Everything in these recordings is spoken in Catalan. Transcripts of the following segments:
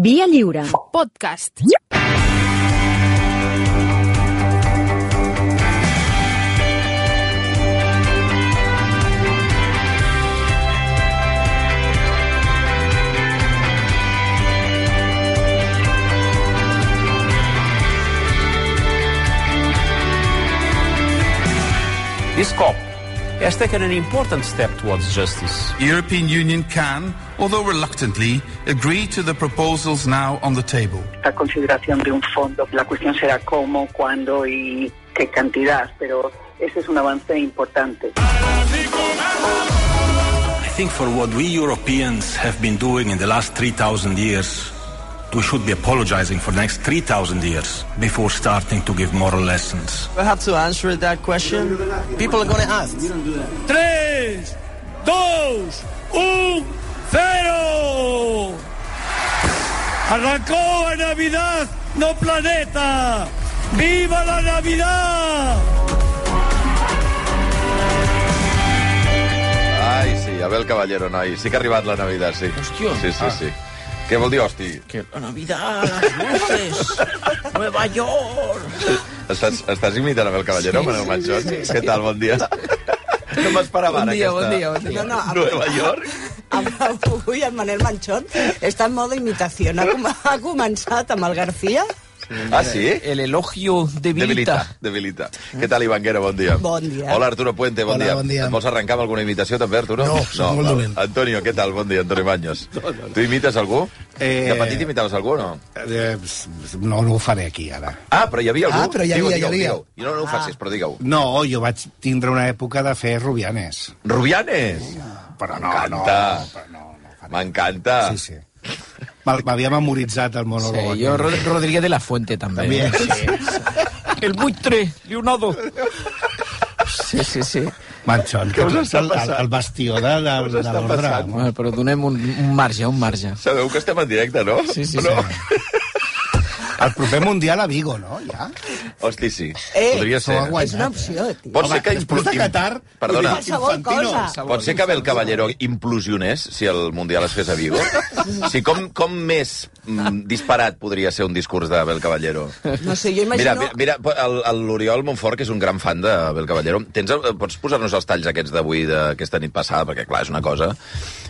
Via Lliure. Podcast. This COP has taken an important step towards justice. The European Union can, although reluctantly, agree to the proposals now on the table. La consideración de un fondo, la cuestión será cómo, cuándo y qué cantidad, pero ese es un avance importante. I think for what we Europeans have been doing in the last 3,000 years, we should be apologizing for the next 3,000 years before starting to give moral lessons. I have to answer that question. People are going to ask. 3, 2, 1, 0. Arrancó la Navidad, no planeta. ¡Viva la Navidad! Ai, sí, Abel Caballero, noi. Sí que ha arribat la Navidad, sí. Hòstia. Sí. Què vol dir, hosti? Que la Navidad, las luces, Nueva York. Estàs imitant Abel Caballero, Manel Manchón? Què tal, bon dia? No m'esperava ara aquesta... Bon dia. No, Nueva York? Avui el Manel Manchón està en modo imitació. Ha començat amb el García. Ah, sí? El elogio debilita. Debilita. Què tal, Ivanguera? Bon dia. Bon dia. Hola, Arturo Puente, bon dia. Bon dia. Et vols arrencar amb alguna imitació, també, Arturo? No, soc molt dolent. Antonio, què tal? Bon dia, Antonio Baños. Tu imites algú? De petit imitaves algú o no? No ho faré aquí, ara. Ah, però hi havia algú? Ah, però hi havia. Digueu. I no ho facis, però digueu. No, jo vaig tindre una època de fer Rubianes. Rubianes? Però M'encanta. Sí. M'havia memoritzat el monòleg. Sí, jo Rodríguez de la Fuente, també. Sí. El buitre, Leonardo. Sí. Manchón, que és el bastió de l'ordre. Bueno, però donem un marge. Sabeu que estem en directe, no? Sí. El proper Mundial a Vigo, no? Ja? Hosti, sí. Podria ser. És una opció, tio. Pot ser que després de Qatar... Perdona. Qualsevol cosa. Pot ser que Abel Caballero implosionés si el Mundial es fes a Vigo? Sí, com més disparat podria ser un discurs d'Abel Caballero? No sé, jo imagino... Mira, l'Oriol Montfort, que és un gran fan d'Abel Caballero, pots posar-nos els talls aquests d'avui, d'aquesta nit passada, perquè, clar, és una cosa...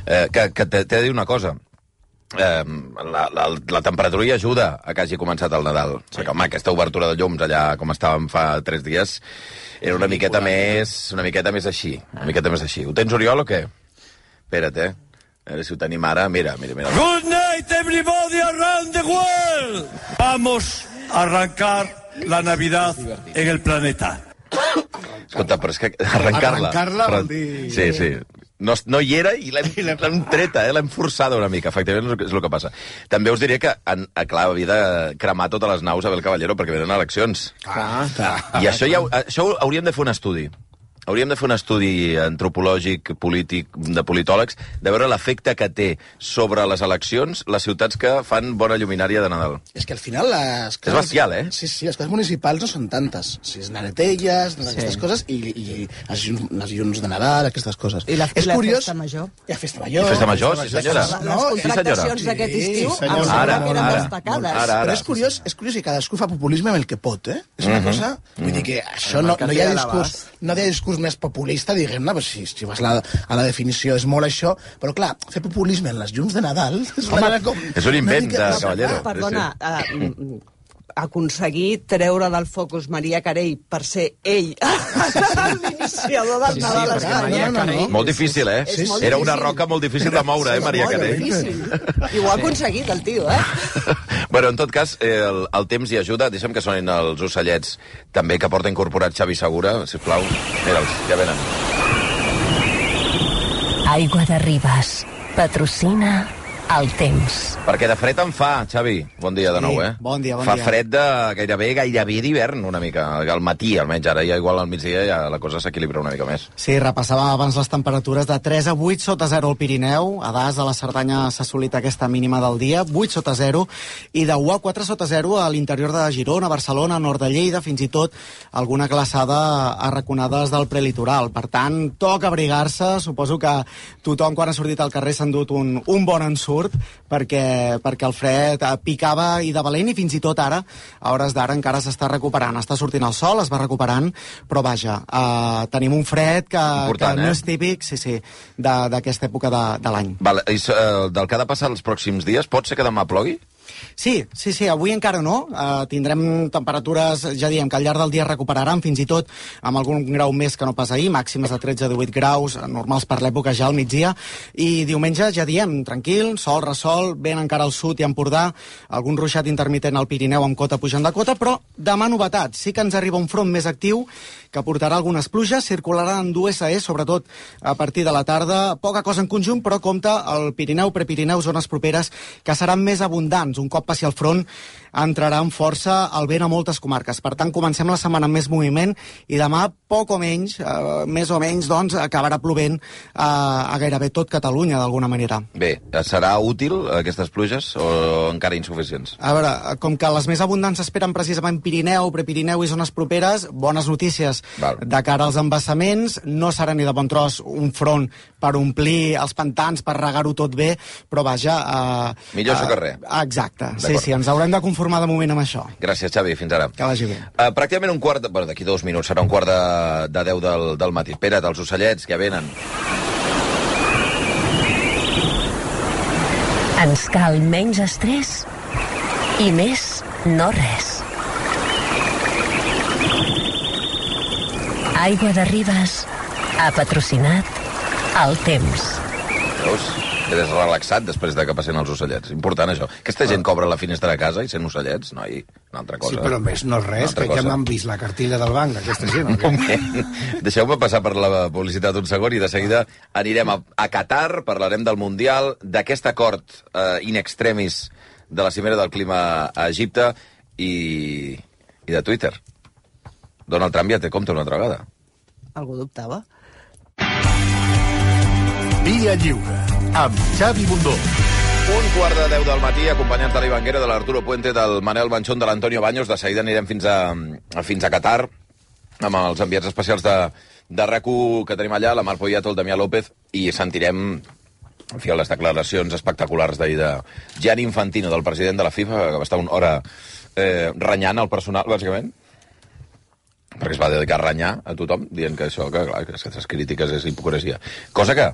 que t'he de dir una cosa. La temperatura hi ajuda a que hagi començat el Nadal. Perquè, home, aquesta obertura de llums allà com estàvem fa 3 dies era una miqueta més així. Ho tens, Oriol, o què? Espera't, A veure si ho tenim ara. Mira. Good night, everybody around the world. Vamos a arrancar la Navidad en el planeta. Escolta, però és que arrencar-la vol dir... Sí. No hi era i l'hem treta, l'hem forçada una mica, efectivament és el que passa. També us diré que, clar, havia de cremar totes les naus a Abel Caballero perquè venen eleccions. I això hauríem de fer un estudi. Hauríem de fer un estudi antropològic, polític, de politòlegs, de veure l'efecte que té sobre les eleccions les ciutats que fan bona lluminària de Nadal. És que al final les... És bestial, Sí, les coses municipals no són tantes. Si és Naretelles, aquestes coses, i les llums de Nadal, aquestes coses. I la festa major. I la festa major. Festa major, sí, senyora. Les contractacions d'aquest estiu eren destacades. Però és curiós que cadascú fa populisme amb el que pot, És una cosa... Vull dir que això no hi ha discurs més populista, diguem-ne, si vas a la definició és molt això, però clar, fer populisme en les llums de Nadal és un invent de Caballero. Perdona, aconseguir treure del focus Maria Carey per ser ell l'iniciador del Nadal a Espanya. Molt difícil, Era una roca molt difícil de moure, Maria Carey. I ho ha aconseguit, el tio, Bueno, en tot cas, el temps hi ajuda. Deixa'm que sonin els ocellets també que porta incorporat Xavi Segura, sisplau. Mira'ls, ja venen. Aigua de Ribes. Patrocina el temps. Perquè de fred en fa, Xavi. Bon dia de nou, Bon dia. Fa fred de gairebé d'hivern, una mica. Al matí, almenys. Ara ja igual al migdia ja la cosa s'equilibra una mica més. Sí, repassàvem abans les temperatures de 3 a 8 sota 0 al Pirineu. A Das, a la Cerdanya, s'ha assolit aquesta mínima del dia, 8 sota 0, i de 1 a 4 sota 0 a l'interior de Girona, Barcelona, nord de Lleida, fins i tot alguna glaçada a raconades del prelitoral. Per tant, toca abrigar-se. Suposo que tothom, quan ha sortit al carrer, s'ha endut un bon ensurt, curt, perquè el fred picava i de valent, i fins i tot ara, a hores d'ara, encara s'està recuperant. Està sortint el sol, es va recuperant, però vaja, tenim un fred que no és típic, d'aquesta època de l'any. Del que ha de passar els pròxims dies, pot ser que demà plogui? Sí, avui encara no. Tindrem temperatures, ja diem, que al llarg del dia recuperaran, fins i tot amb algun grau més que no pas ahir, màximes de 13-18 graus, normals per l'època ja al migdia, i diumenge, ja diem, tranquil, sol, ressol, vent encara al sud i a Empordà, algun ruixat intermitent al Pirineu amb cota pujant de cota, però demà novetat, sí que ens arriba un front més actiu que portarà algunes pluges, circularà en d'USE, sobretot a partir de la tarda, poca cosa en conjunt, però compta el Pirineu, Prepirineu, zones properes que seran més abundants. Un cop passi el front, entrarà amb força el vent a moltes comarques. Per tant, comencem la setmana amb més moviment i demà, poc o menys, més o menys, doncs, acabarà plovent a gairebé tot Catalunya, d'alguna manera. Bé, serà útil aquestes pluges o encara insuficients? A veure, com que les més abundants s'esperen precisament Pirineu, Prepirineu i zones properes, bones notícies de cara als embassaments, no serà ni de bon tros un front per omplir els pantans, per regar-ho tot bé, però vaja... Millor això que res. Exacte, sí, ens haurem de conformar de moment amb això. Gràcies, Xavi, fins ara. Que vagi bé. Pràcticament un quart... Bueno, d'aquí 2 minuts serà un quart de 10 del matí. Espera't, els ocellets que venen. Ens cal menys estrès i més no res. Aigua de Ribes ha patrocinat El Temps. Veus? Quedes relaxat després de que passin els ocellets. Important, això. Aquesta gent cobra la finestra de casa i sent ocellets, noi, una altra cosa. Sí, però més no res, que ja m'han vist la cartilla del banc, aquesta gent. Un moment. Deixeu-me passar per la publicitat un segon i de seguida anirem a Qatar, parlarem del Mundial, d'aquest acord in extremis de la cimera del clima a Egipte i de Twitter. Donald Trump ja té compte una altra vegada. Algú dubtava? Via Lliure, amb Xavi Bundó. 9:45 del matí, acompanyats de l'Ivanguera, de l'Arturo Puente, del Manel Banchón, de l'Antonio Baños. De seguida anirem fins a Qatar, amb els enviats especials de RAC1 que tenim allà, la Mar Poyato, el Damià López, i sentirem les declaracions espectaculars d'ahir de Gianni Infantino, del president de la FIFA, que va estar una hora renyant el personal, bàsicament, perquè es va dedicar a renyar a tothom, dient que això, que clar, que aquestes crítiques és hipocresia. Cosa que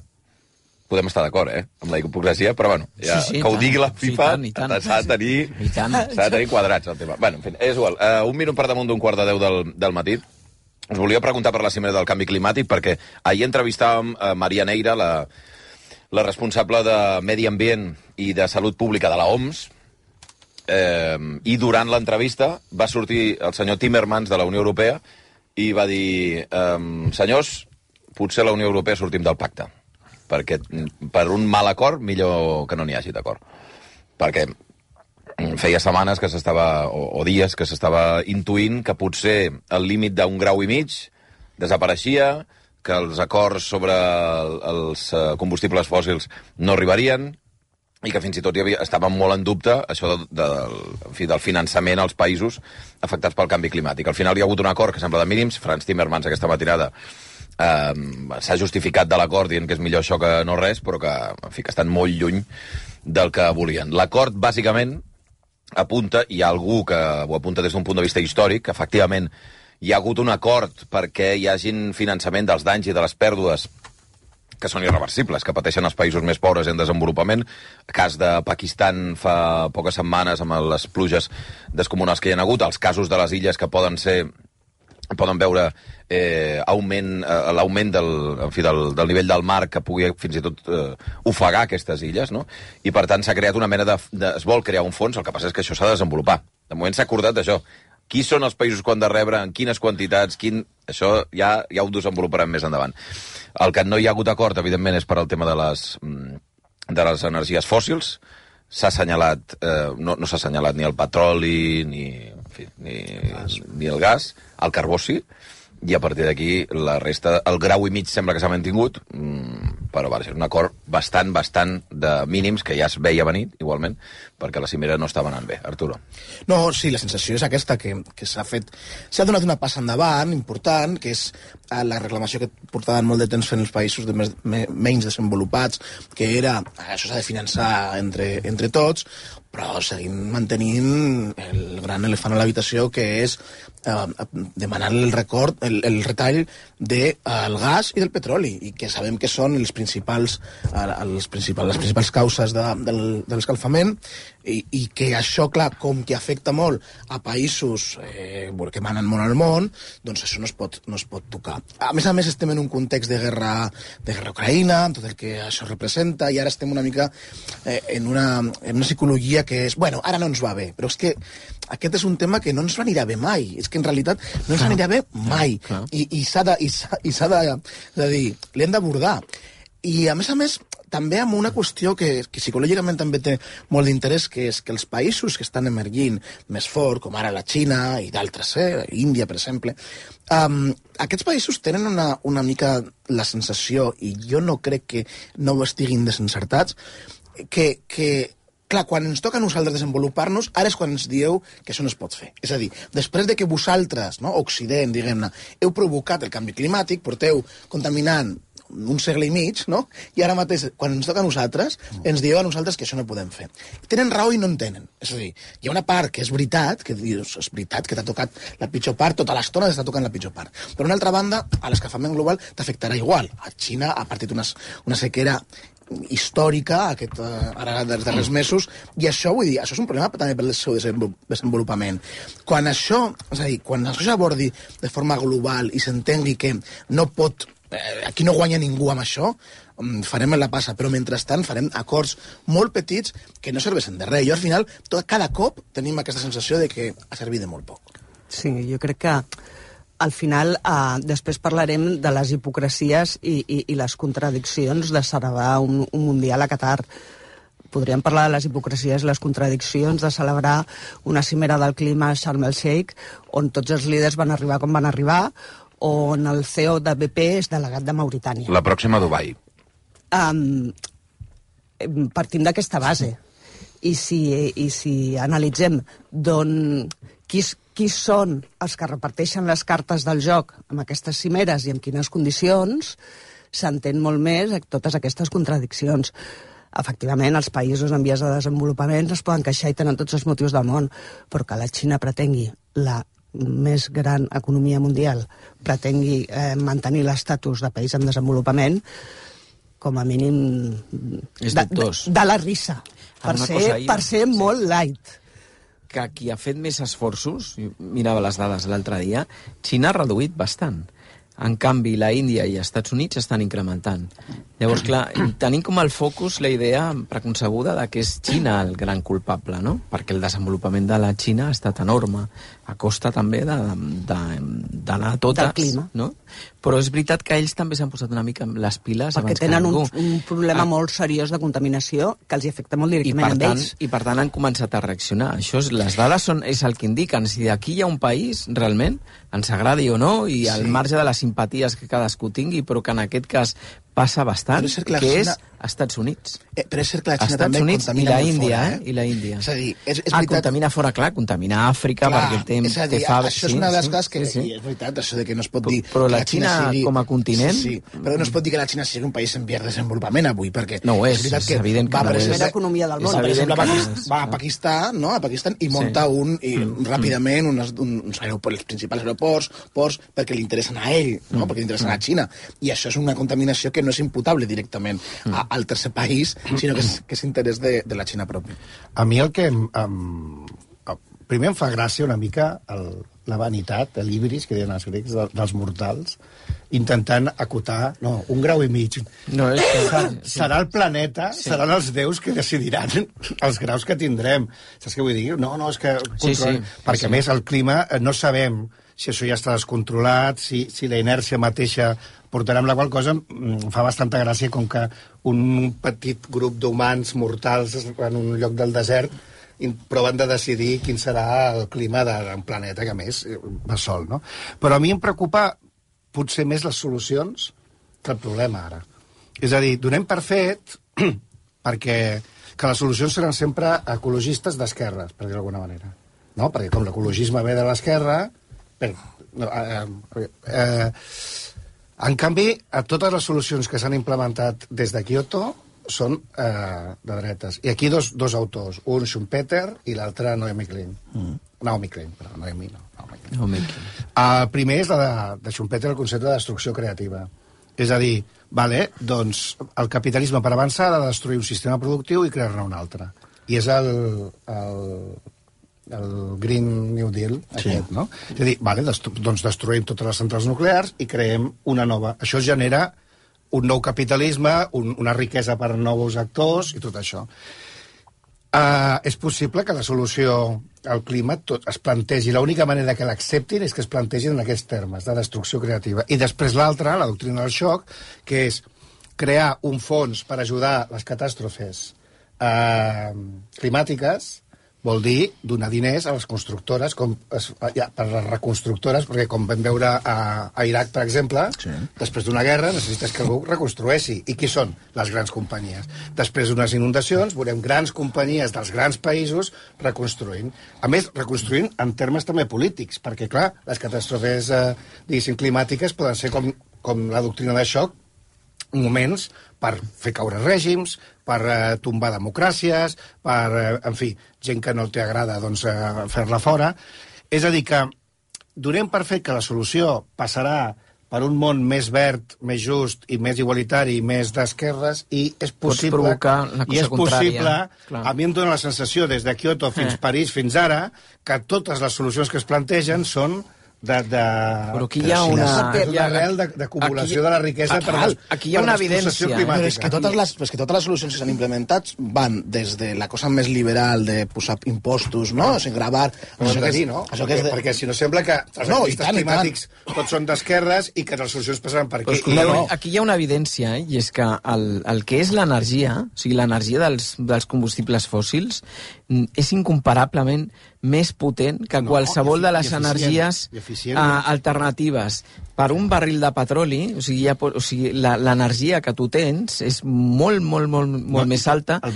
podem estar d'acord, amb la hipocresia, però bueno, ja, sí, que ho digui la FIFA s'ha de tenir quadrats el tema. Bueno, en fi, és igual. 1 minut per damunt d'9:15 del matí. Us volia preguntar per la cimera del canvi climàtic, perquè ahir entrevistàvem Maria Neira, la responsable de Medi Ambient i de Salut Pública de la OMS, i durant l'entrevista va sortir el senyor Timmermans de la Unió Europea i va dir, senyors, potser la Unió Europea sortim del pacte, perquè per un mal acord millor que no n'hi hagi d'acord, perquè feia setmanes que s'estava, o dies que s'estava intuint que potser el límit d'1,5 graus desapareixia, que els acords sobre els combustibles fòssils no arribarien, i que fins i tot estava molt en dubte això del finançament als països afectats pel canvi climàtic. Al final hi ha hagut un acord que sembla de mínims. Frans Timmermans aquesta matinada s'ha justificat de l'acord dient que és millor això que no res, però que, en fi, que estan molt lluny del que volien. L'acord, bàsicament, apunta, i hi ha algú que ho apunta des d'un punt de vista històric, que efectivament hi ha hagut un acord perquè hi hagin finançament dels danys i de les pèrdues que són irreversibles, que pateixen els països més pobres en desenvolupament. El cas de Pakistan fa poques setmanes amb les pluges descomunals que hi ha hagut, els casos de les illes que poden veure l'augment del nivell del mar que pugui fins i tot ofegar aquestes illes, no? I per tant s'ha creat una mena es vol crear un fons, el que passa és que això s'ha de desenvolupar. De moment s'ha acordat d'això. Qui són els països que han de rebre, en quines quantitats, això ja ho desenvoluparem més endavant. El que no hi ha hagut acord, evidentment, és per al tema de les energies fòssils. S'ha assenyalat, no s'ha assenyalat ni el petroli, ni el gas, el carbó sí, i a partir d'aquí la resta, el grau i mig sembla que s'ha mantingut, però va ser un acord bastant de mínims que ja es veia venir, igualment, perquè la cimera no estava anant bé. Arturo. No, sí, la sensació és aquesta, que s'ha donat una passa endavant important, que és la reclamació que portaven molt de temps fent els països menys desenvolupats, que era, això s'ha de finançar entre tots, però seguim mantenint el gran elefant a l'habitació, que és demanar el retall del gas i del petroli, i que sabem que són les principals causes de l'escalfament, i que això, clar, com que afecta molt a països que manen molt al món, doncs això no es pot tocar. A més, estem en un context de guerra Ucraïna, amb tot el que això representa, i ara estem una mica en una psicologia que és, bueno, ara no ens va bé, però és que aquest és un tema que no ens anirà bé mai. És que en realitat no ens anirà bé mai. I s'ha de dir, l'hem d'abordar. I a més, també amb una qüestió que psicològicament també té molt d'interès, que és que els països que estan emergint més fort, com ara la Xina i d'altres, Índia, per exemple, aquests països tenen una mica la sensació, i jo no crec que no estiguin desencertats, que clar, quan ens toca a nosaltres desenvolupar-nos, ara és quan ens dieu que això no es pot fer. És a dir, després de que vosaltres, no, Occident, diguem-ne, heu provocat el canvi climàtic, porteu contaminant un segle i mig, no? I ara mateix, quan ens toca a nosaltres, ens dieu a nosaltres que això no podem fer. Tenen raó i no en tenen. És a dir, hi ha una part que és veritat, que dius, és veritat que t'ha tocat la pitjor part, tota l'estona t'està tocant la pitjor part. Però, una altra banda, a l'escalfament global t'afectarà igual. A Xina ha partit una sequera històrica ara dels darrers mesos, i això, vull dir, això és un problema també pel seu desenvolupament. Quan això s'abordi de forma global i s'entengui que no pot, aquí no guanya ningú amb això, farem la passa, però mentrestant farem acords molt petits que no serveixen de res. Jo al final, cada cop tenim aquesta sensació de que ha servit de molt poc. Sí, jo crec que al final, després parlarem de les hipocresies i les contradiccions de celebrar un Mundial a Qatar. Podríem parlar de les hipocresies i les contradiccions de celebrar una cimera del clima a Sharm el-Sheikh, on tots els líders van arribar com van arribar, on el CEO de BP és delegat de Mauritània. La pròxima a Dubai. Partim d'aquesta base. I si analitzem qui són els que reparteixen les cartes del joc amb aquestes cimeres i en quines condicions, s'entén molt més totes aquestes contradiccions. Efectivament, els països en vies de desenvolupament es poden queixar i tenen tots els motius del món, però que la Xina pretengui, la més gran economia mundial, pretengui mantenir l'estatus de país en desenvolupament, com a mínim de la risa, per ser molt light. Que qui ha fet més esforços, mirava les dades l'altre dia, Xina ha reduït bastant. En canvi, la Índia i els Estats Units estan incrementant. Llavors, clar, tenim com el focus la idea preconcebuda de que és Xina el gran culpable, no? Perquè el desenvolupament de la Xina ha estat enorme, a costa també d'anar a totes. Del clima. No? Però és veritat que ells també s'han posat una mica les piles perquè abans que ningú. Perquè tenen un problema molt seriós de contaminació que els afecta molt directament a ells. I per tant han començat a reaccionar. Les dades és el que indiquen. Si aquí hi ha un país, realment, ens agradi o no, i al marge de les simpaties que cadascú tingui, però que en aquest cas passa bastant, que és Estats Units. Però és cert que la Xina també contamina molt fora. I la Índia. És a dir, és veritat... contamina fora, clar, contamina Àfrica, perquè té... És a dir, això és una de les coses que... És veritat, això de que no es pot dir... Però la Xina com a continent... Sí, però no es pot dir que la Xina sigui un país en vies de desenvolupament avui, perquè... No ho és evident que no és. La primera economia del món. Per exemple, va a Pakistan i munta ràpidament uns aeroports, els principals aeroports, perquè li interessen a ell, perquè li interessen a Xina. I això és una contaminació que no és imputable directament al tercer país, sinó que és interès de la Xina pròpia. A mi el que... Primer em fa gràcia una mica la vanitat, l'hibris, que diuen els grecs, dels mortals, intentant acotar... No, 1 grau i mig. No, serà el planeta, seran els déus que decidiran els graus que tindrem. Saps què vull dir? No, és que... Perquè, a més, el clima no sabem si això ja està descontrolat, si la inèrcia mateixa portarà, amb la qual cosa fa bastanta gràcia com que un petit grup d'humans mortals en un lloc del desert proven de decidir quin serà el clima d'un planeta que, a més, va sol, no? Però a mi em preocupa potser més les solucions que el problema ara. És a dir, donem per fet perquè que les solucions seran sempre ecologistes d'esquerres, per dir d'alguna manera. No? Perquè com l'ecologisme ve de l'esquerra... En canvi, totes les solucions que s'han implementat des de Kyoto són de dretes. I aquí dos autors, un Schumpeter i l'altre Naomi Klein. Naomi Klein, però Naomi no. El primer és de Schumpeter, el concepte de destrucció creativa. És a dir, vale, doncs el capitalisme per avançar ha de destruir un sistema productiu i crear-ne un altre. I és el Green New Deal, aquest, no? És a dir, vale, doncs destruïm totes les centrals nuclears i creem una nova. Això genera un nou capitalisme, una riquesa per a nous actors i tot això. És possible que la solució al clima es plantegi, l'única manera que l'acceptin és que es plantegin en aquests termes, de destrucció creativa. I després l'altra, la doctrina del xoc, que és crear un fons per ajudar les catàstrofes climàtiques, vol dir donar diners a les constructores, per les reconstructores, perquè com vam veure a Iraq, per exemple, després d'una guerra necessites que algú reconstrueixi. I qui són? Les grans companyies. Després d'unes inundacions veurem grans companyies dels grans països reconstruint. A més, reconstruint en termes també polítics, perquè, clar, les catàstrofes diguéssim climàtiques poden ser com la doctrina de xoc, moments per fer caure règims, per tombar democràcies, per, en fi, gent que no t'hi agrada, doncs, fer-la fora. És a dir, que donem per fet que la solució passarà per un món més verd, més just i més igualitari, més d'esquerres, i és possible... Pots provocar la cosa contrària. A mi em dóna la sensació, des de Kyoto fins París, fins ara, que totes les solucions que es plantegen són però aquí hi ha una... l'arrel d'acumulació de la riquesa aquí hi ha una evidència. Però és que totes les solucions que s'han implementat van des de la cosa més liberal de posar impostos, no? O sigui, gravar... Perquè si no sembla que els activistes climàtics tots són d'esquerres i que les solucions passaran per aquí. Aquí hi ha una evidència, i és que el que és l'energia, o sigui, l'energia dels combustibles fòssils, és incomparablement més potent que qualsevol de les energies alternatives. Per un barril de petroli, o sigui, l'energia que tu tens és molt més alta que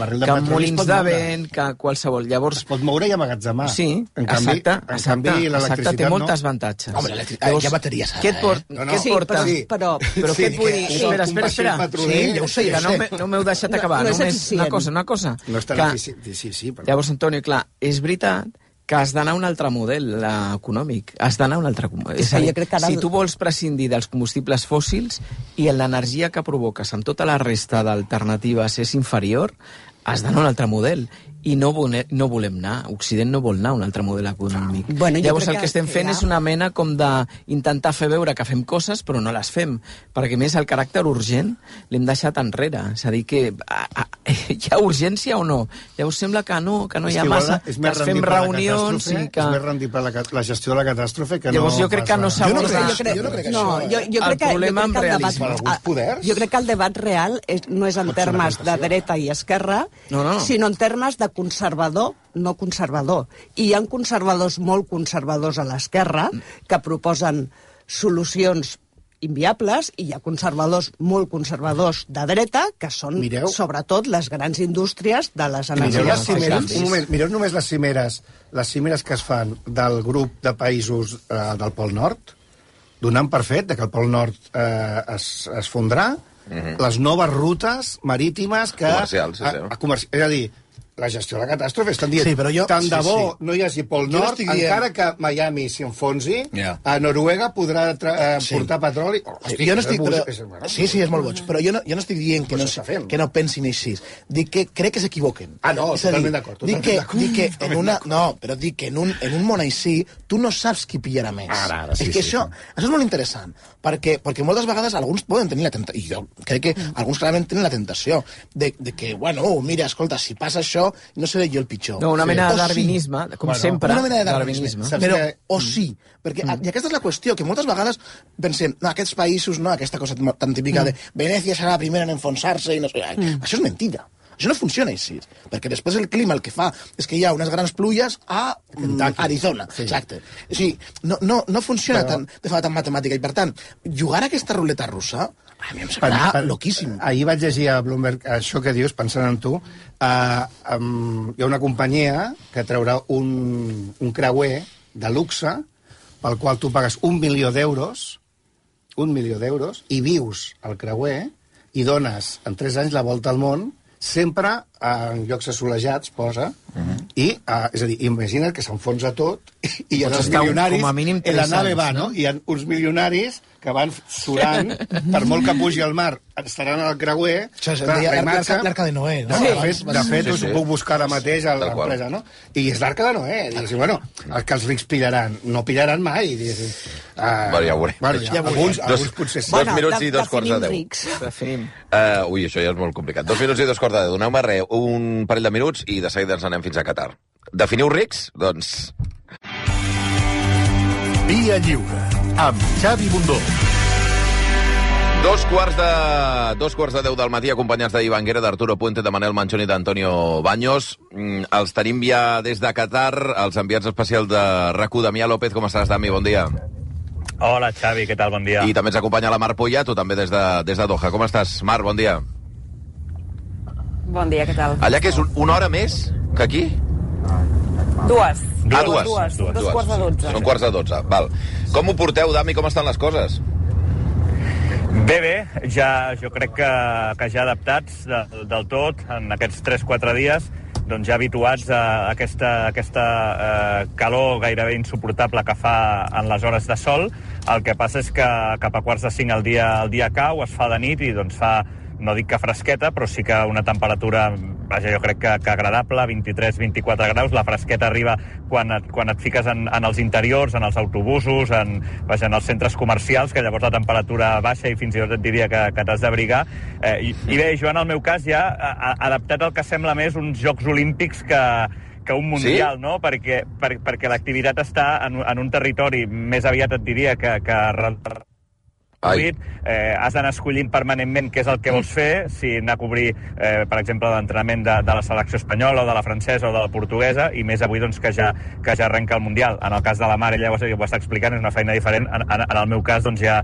molins de vent, que qualsevol. Llavors, es pot moure i emmagatzemar. Sí, exacte, té molts avantatges. Home, hi ha bateries ara, Què et porta? Però què et vull dir? Espera. Sí, ja ho sé. No m'heu deixat acabar. Només una cosa. No és tan eficient. Llavors, Antonio, clar, és veritat que has d'anar a un altre model econòmic. Has d'anar a un altre... És a dir, si tu vols prescindir dels combustibles fòssils i l'energia que provoques amb tota la resta d'alternatives és inferior, has d'anar a un altre model. I no volem anar. Occident no vol anar a un altre model econòmic. Llavors el que estem fent és una mena com d'intentar fer veure que fem coses però no les fem, perquè més el caràcter urgent l'hem deixat enrere. És a dir, que hi ha urgència o no? Llavors sembla que no hi ha massa, que es fem reunions i que... És més rendible la gestió de la catàstrofe que no... Llavors jo crec que no s'aborda... Jo crec que el debat real no és en termes de dreta i esquerra, sinó en termes de conservador, no conservador. I hi ha conservadors molt conservadors a l'esquerra que proposen solucions inviables i hi ha conservadors molt conservadors de dreta que són, sobretot, les grans indústries de les energies fòssils. Un moment, mireu només les cimeres que es fan del grup de països del Pol Nord, donant per fet que el Pol Nord es fondrà, les noves rutes marítimes que... Comercials, és a dir, la gestió de la catàstrofe. Estan dient, tant de bo no hi hagi Pol Nord, encara que Miami s'enfonsi, a Noruega podrà portar petroli. Jo no estic... Sí, és molt boig, però jo no estic dient que no pensin així. Dic que crec que s'equivoquen. Totalment d'acord. Dic que en una... No, però dic que en un món així tu no saps qui pillarà més. És que això és molt interessant, perquè moltes vegades alguns poden tenir la tentació, i jo crec que alguns clarament tenen la tentació, de que, bueno, mira, escolta, si passa això, no seré jo el pitjor. No, una mena de darwinisme, com sempre. Una mena de darwinisme. Però, sí, perquè i aquesta és la qüestió, que moltes vegades pensem, no, aquests països, no, aquesta cosa tan típica de Venècia serà la primera en enfonsar-se i no sé... Això és mentida. Això no funciona així, perquè després el clima el que fa és que hi ha unes grans pluies a Arizona. Sí. Exacte. O sigui, no funciona tan, de forma tan matemàtica, i per tant, jugar a aquesta ruleta russa a mi em sembla loquíssim. Ahir vaig llegir a Bloomberg això que dius, pensant en tu. Hi ha una companyia que traurà un creuer de luxe pel qual tu pagues $1 milió, i vius al creuer i dones en 3 anys la volta al món, sempre en llocs assolejats, posa, i, és a dir, imagina't que s'enfonsa tot i hi ha els milionaris, en la nave va, no? Hi ha uns milionaris que van surant, per molt que pugi al mar, estaran al creuer... Això és l'Arca de Noé, no? De fet, us ho puc buscar ara mateix a l'empresa, no? I és l'Arca de Noé. Diguéssim, bueno, els que els rics pillaran, no pillaran mai, diguéssim. Bueno, ja ho veurem. Alguns potser sí. 2 minuts i 2:45. Definim. Ui, això ja és molt complicat. 2 minuts i 2:45. Doneu-me un parell de minuts i de seguida ens anem fins a Qatar. Definiu rics? Doncs... Via Lliure, amb Xavi Bundó. 2:10 del matí, acompanyats d'Ivan Guerra, d'Arturo Puente, de Manel Manchón i d'Antonio Baños. Els tenim ja des de Qatar, els enviats especials de RAC1, Damià López. Com estàs, Dami? Bon dia. Hola, Xavi, què tal? Bon dia. I també ens acompanya la Mar Poyato, també des de Doha. Com estàs, Mar? Bon dia. Bon dia, què tal? Allà que és una hora més que aquí? Dues. Dues. 2:45. Són 11:45, val. Com ho porteu, Dami? Com estan les coses? Bé, ja, jo crec que ja adaptats del tot en aquests 3-4 dies, doncs ja habituats a aquesta calor gairebé insuportable que fa en les hores de sol. El que passa és que cap a 4:45 el dia cau, es fa de nit i doncs fa, no dic que fresqueta, però sí que una temperatura, vaja, jo crec que agradable, 23-24 graus. La fresqueta arriba quan et fiques en els interiors, en els autobusos, en els centres comercials, que llavors la temperatura baixa i fins i tot et diria que t'has d'abrigar. I bé, jo en el meu cas ja adaptat al que sembla més uns Jocs Olímpics que un mundial, sí? No? Perquè l'activitat està en un territori més aviat et diria que has d'anar escollint permanentment què és el que vols fer, si anar a cobrir, per exemple, l'entrenament de la selecció espanyola o de la francesa o de la portuguesa, i més avui doncs, que ja arrenca el Mundial. En el cas de la Mar, ella ho està explicant, és una feina diferent. En el meu cas, doncs ja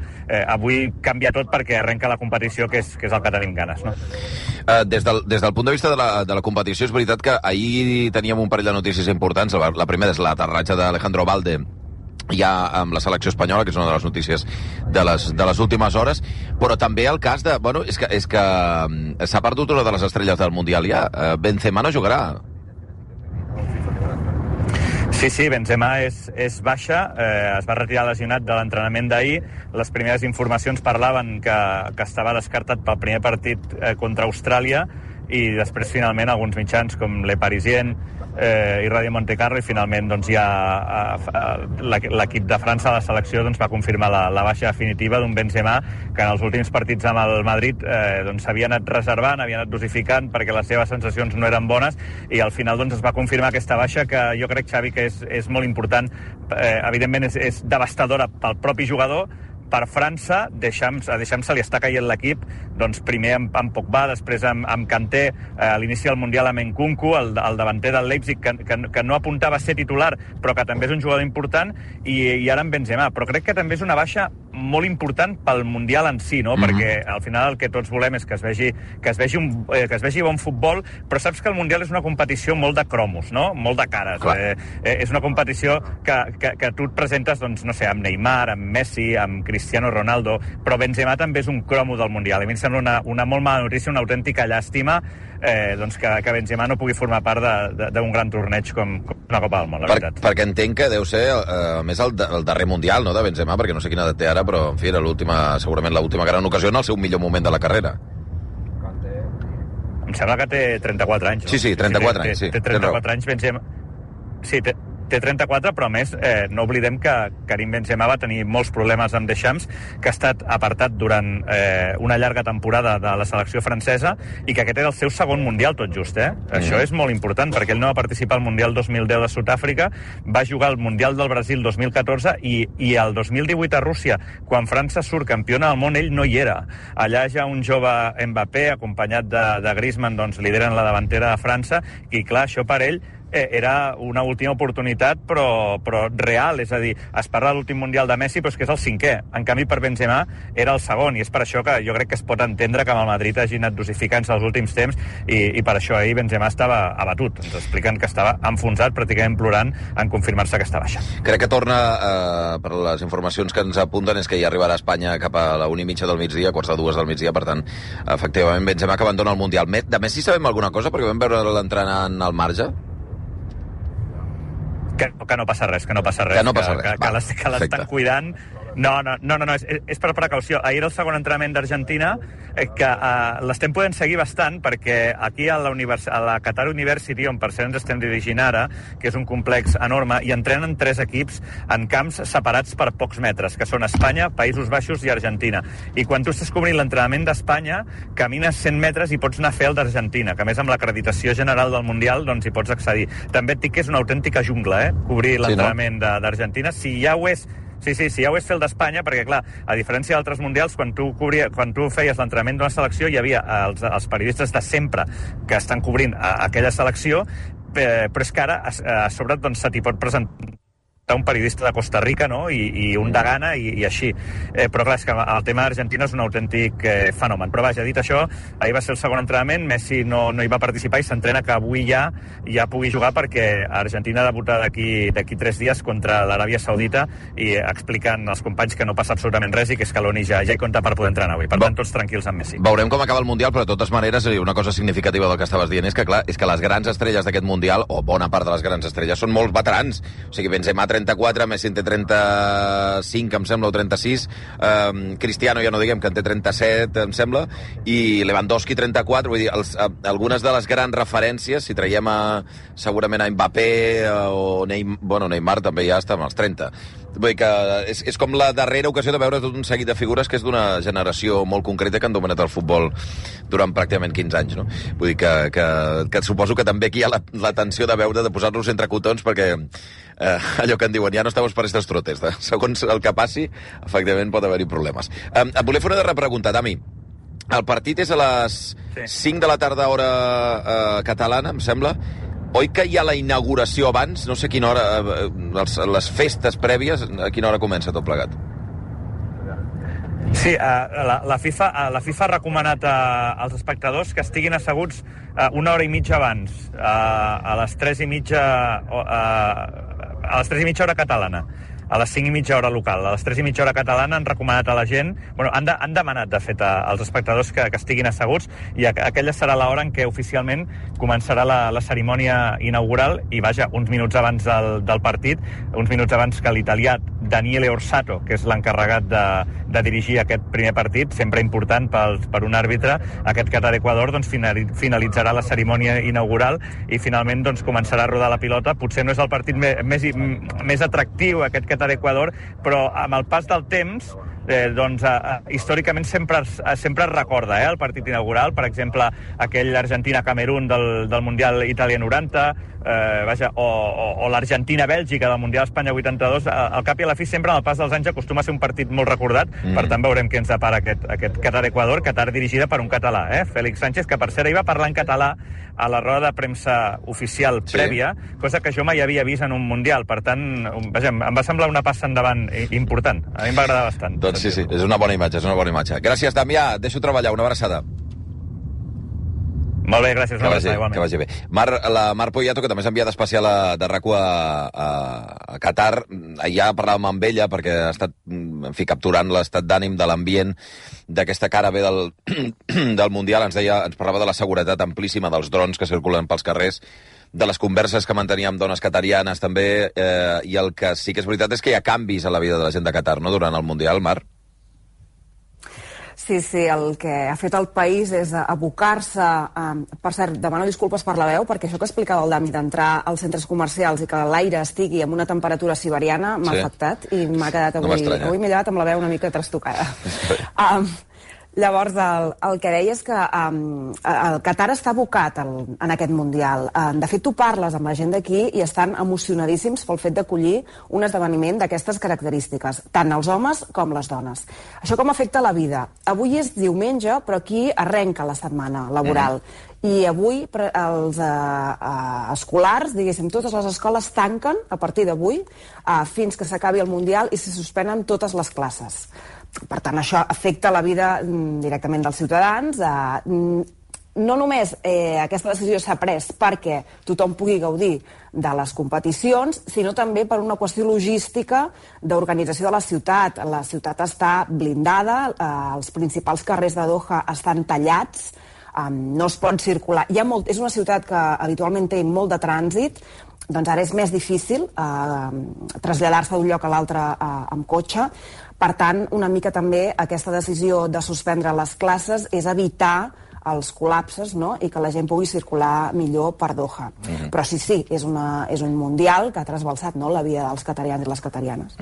avui canvia tot perquè arrenca la competició, que és el que tenim ganes. No? Des del punt de vista de la competició, és veritat que ahir teníem un parell de notícies importants. La primera és l'aterratge d'Alejandro Balde ja amb la selecció espanyola, que és una de les notícies de les últimes hores, però també el cas de... Bueno, és que s'ha perdut una de les estrelles del Mundial ja. Benzema no jugarà. Sí, Benzema és baixa, es va retirar lesionat de l'entrenament d'ahir. Les primeres informacions parlaven que estava descartat pel primer partit contra Austràlia, i després finalment alguns mitjans com Le Parisien i Radio Monte Carlo, i finalment doncs, ja l'equip de França, la selecció, doncs, va confirmar la baixa definitiva d'un Benzema que en els últims partits amb el Madrid s'havia anat reservant, havia anat dosificant perquè les seves sensacions no eren bones, i al final doncs, es va confirmar aquesta baixa, que jo crec, Xavi, que és molt important. Evidentment és devastadora pel propi jugador. Per França, a Deschamps se li està caient l'equip, doncs primer amb Pogba, després amb Kanté, a l'inici del Mundial amb Nkunku, el davanter del Leipzig, que no apuntava a ser titular, però que també és un jugador important, i ara amb Benzema. Però crec que també és una baixa molt important pel Mundial en si, no? Perquè al final el que tots volem és que es vegi bon futbol, però saps que el Mundial és una competició molt de cromos, no? Molt de cares. És una competició que tu et presentes, doncs, no sé, amb Neymar, amb Messi, amb Cristiano Ronaldo, però Benzema també és un cromo del Mundial. A mi em sembla una molt mala notícia, una autèntica llàstima, doncs que Benzema no pugui formar part d'un gran torneig com una Copa del Món, la veritat. Perquè entenc que deu ser més el darrer Mundial, no?, de Benzema, perquè no sé quina edat té ara, però, en fi, era segurament l'última gran ocasió en el seu millor moment de la carrera. Em sembla que té 34 anys. No? Sí, 34 anys, sí. Té 34 anys, Benzema. Sí, té 34, però a més no oblidem que Karim Benzema va tenir molts problemes amb Deschamps, que ha estat apartat durant una llarga temporada de la selecció francesa i que aquest era el seu segon Mundial tot just. Això és molt important, perquè ell no va participar al Mundial 2010 de Sud-àfrica, va jugar al Mundial del Brasil 2014 i el 2018 a Rússia, quan França surt campiona del món, ell no hi era. Allà ja un jove Mbappé, acompanyat de Griezmann, doncs lideren la davantera de França, i clar, això per ell era una última oportunitat, però real, és a dir, es parla de l'últim Mundial de Messi, però és que és el 5è. En canvi, per Benzema era el segon, i és per això que jo crec que es pot entendre que amb el Madrid hagi anat dosificant-se els últims temps, i per això ahir Benzema estava abatut. Ens expliquen que estava enfonsat, pràcticament plorant, en confirmar-se que està baixa. Crec que torna, per les informacions que ens apunten, és que ja arribarà a Espanya cap a la 1:30 del migdia, quarts de 2 del migdia, per tant, efectivament, Benzema que abandona el Mundial. De Messi sabem alguna cosa? Perquè vam veure l'entrenant al marge. Que no passa res, que no passa res. Que l'estan cuidant. No, és per precaució. Ahir era el segon entrenament d'Argentina, que l'estem podent seguir bastant, perquè aquí a la Qatar University, on per cert ens estem dirigint ara, que és un complex enorme, hi entrenen 3 equips en camps separats per pocs metres, que són Espanya, Països Baixos i Argentina. I quan tu estàs cobrint l'entrenament d'Espanya, camines 100 metres i pots anar a fer el d'Argentina, que a més amb l'acreditació general del Mundial doncs hi pots accedir. També et dic que és una autèntica jungla, cobrir l'entrenament d'Argentina. Si ja ho és fer el d'Espanya, perquè, clar, a diferència d'altres mundials, quan tu feies l'entrenament d'una selecció, hi havia els periodistes de sempre que estan cobrint aquella selecció, però és que ara a sobre doncs, se t'hi pot presentar un periodista de Costa Rica, no? I un de Ghana i així. Però clar, és que el tema d'Argentina és un autèntic fenomen. Però vaja, dit això, ahir va ser el segon entrenament, Messi no hi va participar i s'entrena que avui ja pugui jugar, perquè Argentina debuta d'aquí 3 dies contra l'Aràbia Saudita, i expliquen els companys que no passa absolutament res i que Scaloni ja hi compta per poder entrenar avui. Per tant, tots tranquils amb Messi. Veurem com acaba el Mundial, però de totes maneres una cosa significativa del que estaves dient és que, clar, és que les grans estrelles d'aquest Mundial, o bona part de les grans estrelles, són molts veterans. O sigui, Benzema 34, Messi en té 35, em sembla, o 36, Cristiano ja no diguem, que en té 37, em sembla, i Lewandowski 34, vull dir, algunes de les grans referències, si traiem segurament a Mbappé o Neymar també ja està amb els 30. Vull dir que és com la darrera ocasió de veure tot un seguit de figures que és d'una generació molt concreta que han dominat el futbol durant pràcticament 15 anys, no? Vull dir que suposo que també aquí hi ha la tensió de posar-los entre cotons, perquè allò que en diuen, ja no estamos para estos trotes. Segons el que passi, efectivament pot haver-hi problemes. Et volia fer una darrera pregunta, Dami. El partit és a les 5 de la tarda, hora catalana, em sembla. Oi que hi ha la inauguració abans? No sé a quina hora, les festes prèvies, a quina hora comença tot plegat? Sí, la FIFA ha recomanat als espectadors que estiguin asseguts una hora i mitja abans, a les 3:30 hora catalana, a les 5:30 hora local. A les 3:30 hora catalana han recomanat a la gent, han demanat, de fet, als espectadors que estiguin asseguts, i aquella serà l'hora en què oficialment començarà la cerimònia inaugural, i vaja, uns minuts abans del partit, uns minuts abans que l'italià Daniele Orsato, que és l'encarregat de dirigir aquest primer partit, sempre important per un àrbitre, aquest Qatar-Equador, doncs finalitzarà la cerimònia inaugural i finalment doncs començarà a rodar la pilota. Potser no és el partit més atractiu, aquest Qatar-Equador, però amb el pas del temps històricament sempre es recorda el partit inaugural, per exemple aquell Argentina-Camerún del Mundial Itàlia 90, o l'Argentina-Bèlgica del Mundial Espanya 82. Al cap i a la fi, sempre en el pas dels anys acostuma a ser un partit molt recordat. Per tant, veurem què ens depara aquest Qatar-Equador, Qatar dirigida per un català, Félix Sánchez, que per cert ahir va parlar en català a la roda de premsa oficial prèvia, cosa que jo mai havia vist en un Mundial. Per tant, em va semblar una passa endavant important. A mi em va agradar bastant. Doncs sí, és una bona imatge, Gràcies, Damià, deixo treballar, una abraçada. Molt bé, gràcies. Que vagi bé. La Mar Poyato, que també s'ha enviat especial de RAC1 a Qatar, ja parlàvem amb ella perquè ha estat, capturant l'estat d'ànim de l'ambient d'aquesta cara bé del Mundial. Ens parlava de la seguretat amplíssima dels drons que circulen pels carrers, de les converses que mantenia amb dones qatarianes també, i el que sí que és veritat és que hi ha canvis a la vida de la gent de Qatar, no?, durant el Mundial, Mar? Sí, el que ha fet el país és abocar-se... Per cert, demano disculpes per la veu, perquè això que explicava el Dami d'entrar als centres comercials i que l'aire estigui amb una temperatura siberiana m'ha afectat i m'ha quedat avui m'he llevat amb la veu una mica trastocada. Llavors, el que deia és que el Qatar està abocat en aquest Mundial. De fet, tu parles amb la gent d'aquí i estan emocionadíssims pel fet d'acollir un esdeveniment d'aquestes característiques, tant els homes com les dones. Això com afecta la vida? Avui és diumenge, però aquí arrenca la setmana laboral. I avui els escolars, diguéssim, totes les escoles tanquen a partir d'avui fins que s'acabi el Mundial i se suspenen totes les classes. Per tant, això afecta la vida directament dels ciutadans. No només aquesta decisió s'ha pres perquè tothom pugui gaudir de les competicions, sinó també per una qüestió logística d'organització de la ciutat. La ciutat està blindada, els principals carrers de Doha estan tallats, no es pot circular. És una ciutat que habitualment té molt de trànsit, doncs ara és més difícil traslladar-se d'un lloc a l'altre amb cotxe. Per tant, una mica també aquesta decisió de suspendre les classes és evitar els col·lapses, no?, i que la gent pugui circular millor per Doha. Però sí, és un mundial que ha trasbalsat, no?, la vida dels qatarians i les qatarianes.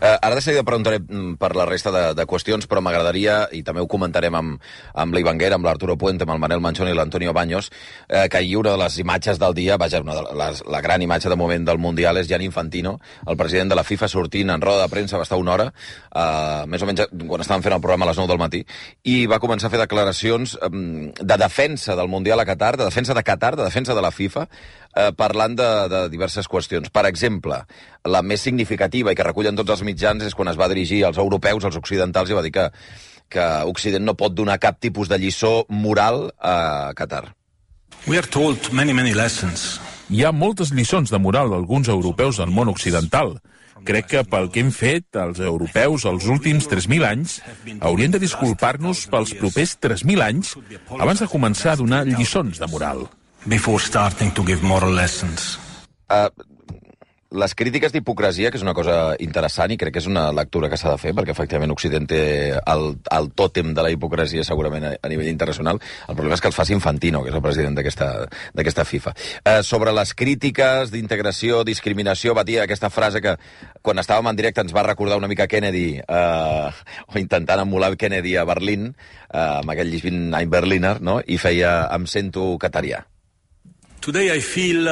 Ara de seguida preguntaré per la resta de qüestions, però m'agradaria, i també ho comentarem amb l'Ivanguera, amb l'Arturo Puente, amb el Manel Manchón i l'Antonio Baños, que ahir una de les imatges del dia, la gran imatge de moment del Mundial és Gianni Infantino, el president de la FIFA, sortint en roda de premsa, va estar una hora, més o menys quan estàvem fent el programa a les 9 del matí, i va començar a fer declaracions de defensa del Mundial a Qatar, de defensa de Qatar, de defensa de la FIFA, parlant de diverses qüestions. Per exemple, la més significativa i que recullen tots els mitjans és quan es va dirigir als europeus, als occidentals, i va dir que Occident no pot donar cap tipus de lliçó moral a Qatar. We are told many lessons. Hi ha moltes lliçons de moral d'alguns europeus del món occidental. Crec que pel que hem fet, els europeus, els últims 3.000 anys, haurien de disculpar-nos pels propers 3.000 anys abans de començar a donar lliçons de moral. Before starting to give moral lessons. Les crítiques d'hipocresia, que és una cosa interessant i crec que és una lectura que s'ha de fer, perquè efectivament Occident té el tòtem de la hipocresia segurament a nivell internacional. El problema és que els faci Infantino, que és el president d'aquesta FIFA. Sobre les crítiques d'integració, discriminació, va dir aquesta frase que quan estàvem en directe ens va recordar una mica Kennedy, o intentant emular Kennedy a Berlín, amb aquell Ich bin ein Berliner, no? I feia em sento catarià. Today I feel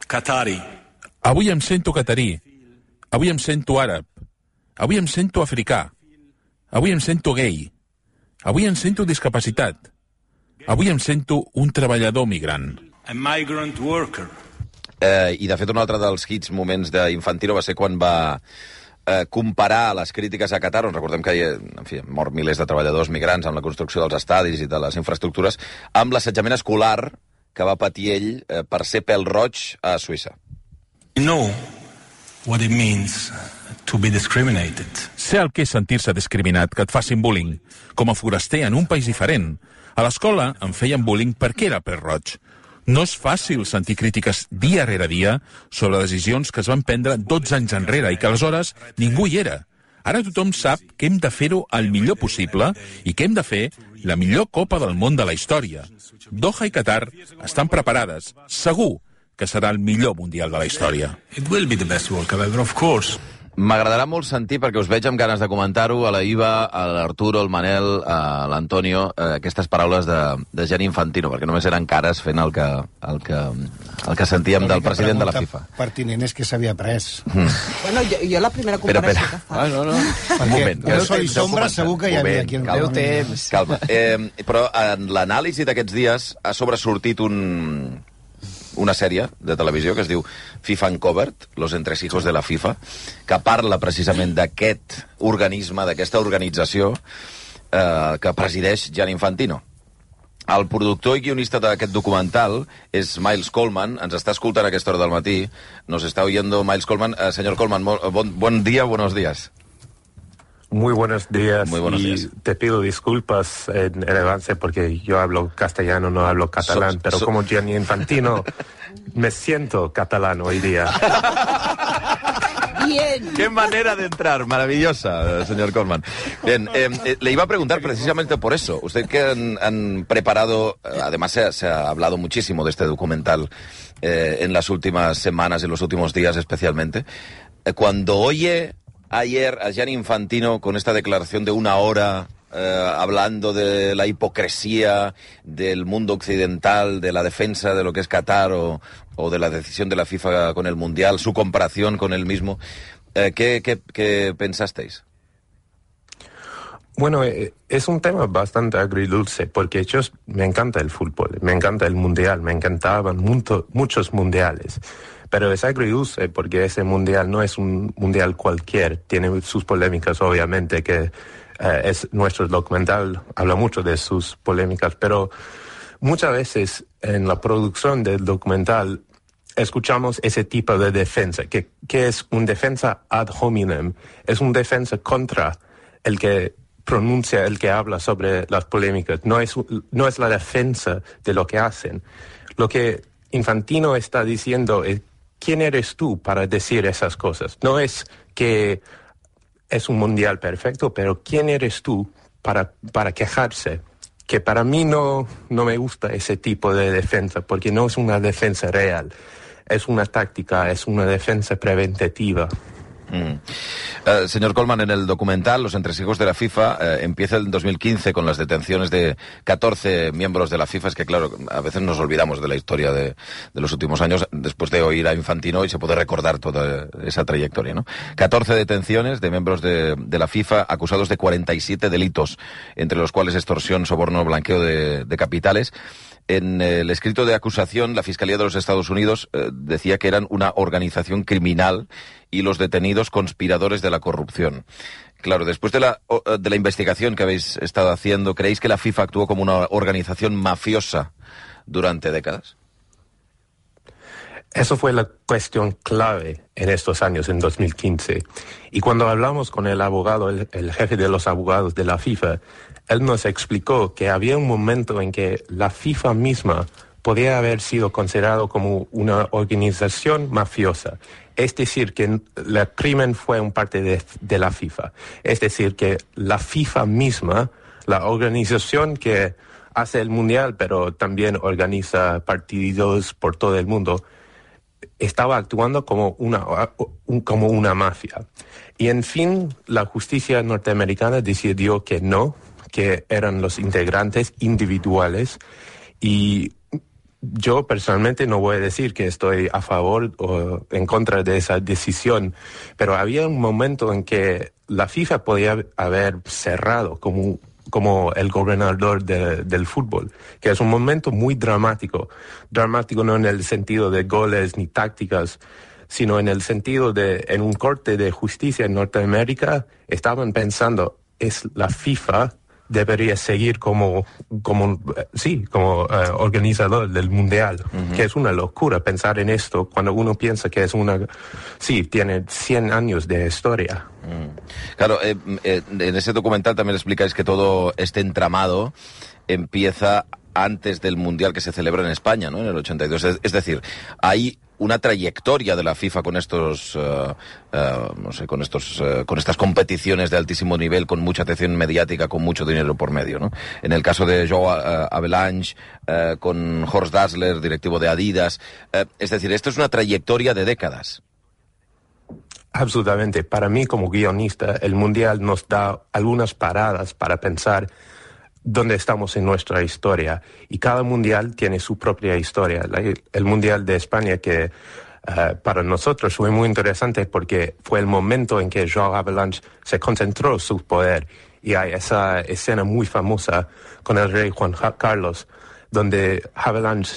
Qatari. Avui em sento catarí, avui em sento àrab, avui em sento africà, avui em sento gay, avui em sento discapacitat, avui em sento un treballador migrant. A migrant worker. I de fet un altre dels hits moments d'Infantino va ser quan va comparar les crítiques a Qatar, on recordem que han mort milers de treballadors migrants amb la construcció dels estadis i de les infraestructures, amb l'assetjament escolar que va patir ell per ser pèl roig a Suïssa. Know what it means to be discriminated. Sé el que és sentir-se discriminat, que et facin bullying. Com a foraster en un país diferent. A l'escola em feien bullying perquè era pèl roig. No és fàcil sentir crítiques dia rere dia sobre decisions que es van prendre 12 anys enrere i que aleshores ningú hi era. Ara tothom sap que hem de fer-ho el millor possible i que hem de fer la millor Copa del Món de la història. Doha i Qatar estan preparades, segur, que serà el millor Mundial de la història. It will be the best World Cup ever, of course. M'agradarà molt sentir, perquè us veig amb ganes de comentar-ho, a la Iva, a l'Arturo, al Manel, a l'Antonio, aquestes paraules de Gianni Infantino, perquè només eren cares fent el que sentíem del president de la FIFA. Pertinent és que s'havia pres. Bueno, jo la primera comparació que fa... No. Un moment. El sol i sombra segur que hi havia aquí. Calma. Però en l'anàlisi d'aquests dies ha sobresortit una sèrie de televisió que es diu FIFA Uncovered, Los entresijos de la FIFA, que parla precisament d'aquest organisme, d'aquesta organització que presideix Gianni Infantino. El productor i guionista d'aquest documental és Miles Coleman, ens està escoltant a aquesta hora del matí, nos está oyendo Miles Coleman. Señor Coleman, buen día, buenos días. Muy buenos días. Te pido disculpas en el avance porque yo hablo castellano, no hablo catalán, pero como Gianni Infantino me siento catalán hoy día. bien. Qué manera de entrar, maravillosa, señor Colman. Bien, le iba a preguntar precisamente por eso. Usted que han preparado, además se ha hablado muchísimo de este documental en las últimas semanas, en los últimos días especialmente. Cuando oye ayer a Gianni Infantino con esta declaración de 1 hora, hablando de la hipocresía del mundo occidental, de la defensa de lo que es Qatar o de la decisión de la FIFA con el Mundial, su comparación con él mismo, ¿qué pensasteis? Bueno, es un tema bastante agridulce, porque me encanta el fútbol, me encanta el Mundial, me encantaban muchos mundiales. Pero es agridulce porque ese mundial no es un mundial cualquier, tiene sus polémicas, obviamente, que es nuestro documental, habla mucho de sus polémicas, pero muchas veces en la producción del documental escuchamos ese tipo de defensa, que es un defensa ad hominem, es un defensa contra el que pronuncia, el que habla sobre las polémicas, no es la defensa de lo que hacen. Lo que Infantino está diciendo es, ¿quién eres tú para decir esas cosas? No es que es un mundial perfecto, pero ¿quién eres tú para quejarse? Que para mí no me gusta ese tipo de defensa, porque no es una defensa real. Es una táctica, es una defensa preventativa. Señor Colman, en el documental Los entresijos de la FIFA empieza en 2015 con las detenciones de 14 miembros de la FIFA. Es que claro, a veces nos olvidamos de la historia de los últimos años después de oír a Infantino y se puede recordar toda esa trayectoria, ¿no? 14 detenciones de miembros de la FIFA acusados de 47 delitos, entre los cuales extorsión, soborno, blanqueo de capitales. En el escrito de acusación, la Fiscalía de los Estados Unidos decía que eran una organización criminal y los detenidos conspiradores de la corrupción. Claro, después de la investigación que habéis estado haciendo, ¿creéis que la FIFA actuó como una organización mafiosa durante décadas? Eso fue la cuestión clave en estos años, en 2015. Y cuando hablamos con el abogado, el jefe de los abogados de la FIFA, él nos explicó que había un momento en que la FIFA misma podía haber sido considerado como una organización mafiosa. Es decir, que el crimen fue un parte de la FIFA. Es decir, que la FIFA misma, la organización que hace el Mundial, pero también organiza partidos por todo el mundo, estaba actuando como una mafia. Y en fin, la justicia norteamericana decidió que no, que eran los integrantes individuales, y yo personalmente no voy a decir que estoy a favor o en contra de esa decisión, pero había un momento en que la FIFA podía haber cerrado como el gobernador del fútbol, que es un momento muy dramático no en el sentido de goles ni tácticas, sino en el sentido de, en un corte de justicia en Norteamérica, estaban pensando, es la FIFA debería seguir como organizador del Mundial, que es una locura pensar en esto cuando uno piensa que tiene 100 años de historia. Claro, en ese documental también explicáis que todo este entramado empieza antes del Mundial que se celebra en España, ¿no? En el 82. Es decir, hay una trayectoria de la FIFA con con estas competiciones de altísimo nivel, con mucha atención mediática, con mucho dinero por medio, ¿no? En el caso de Joe Avalanche, con Horst Dassler, directivo de Adidas. Es decir, esto es una trayectoria de décadas. Absolutamente. Para mí, como guionista, el Mundial nos da algunas paradas para pensar dónde estamos en nuestra historia. Y cada mundial tiene su propia historia. El Mundial de España, que para nosotros fue muy interesante porque fue el momento en que Joao Avalanche se concentró su poder. Y hay esa escena muy famosa con el rey Juan Carlos, donde Avalanche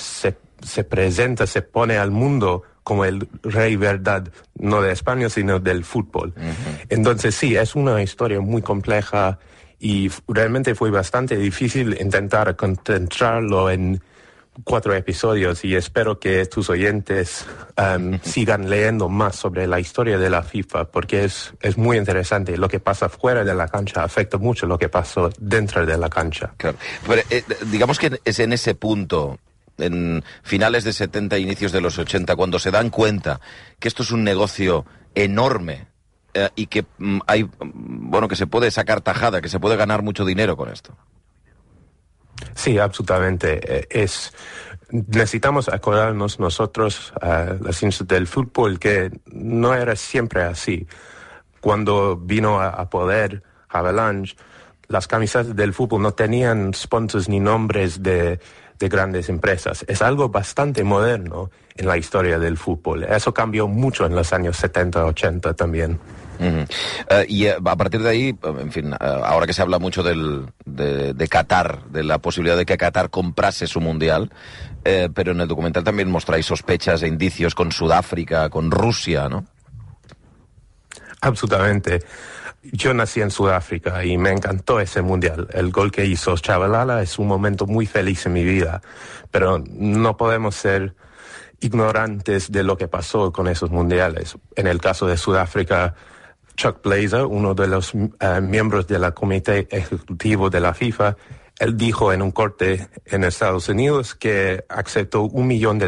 se presenta, se pone al mundo como el rey verdad, no de España, sino del fútbol. Entonces sí, es una historia muy compleja. Y realmente fue bastante difícil intentar concentrarlo en 4 episodios, y espero que tus oyentes sigan leyendo más sobre la historia de la FIFA, porque es muy interesante. Lo que pasa fuera de la cancha afecta mucho lo que pasó dentro de la cancha. Claro. Pero, digamos que es en ese punto, en finales de 70, inicios de los 80, cuando se dan cuenta que esto es un negocio enorme y que que se puede sacar tajada, que se puede ganar mucho dinero con esto. Sí, absolutamente. Necesitamos acordarnos nosotros, los hinchas del fútbol, que no era siempre así. Cuando vino a poder Avalanche, las camisetas del fútbol no tenían sponsors ni nombres de grandes empresas. Es algo bastante moderno en la historia del fútbol. Eso cambió mucho en los años 70, 80 también. Y a partir de ahí, en fin, ahora que se habla mucho de Qatar, de la posibilidad de que Qatar comprase su mundial, pero en el documental también mostráis sospechas e indicios con Sudáfrica, con Rusia, ¿no? Absolutamente. Yo nací en Sudáfrica y me encantó ese mundial. El gol que hizo Chabalala es un momento muy feliz en mi vida, pero no podemos ser ignorantes de lo que pasó con esos mundiales. En el caso de Sudáfrica, Chuck Blazer, uno de los miembros del comité ejecutivo de la FIFA, él dijo en un corte en Estados Unidos que aceptó $1 million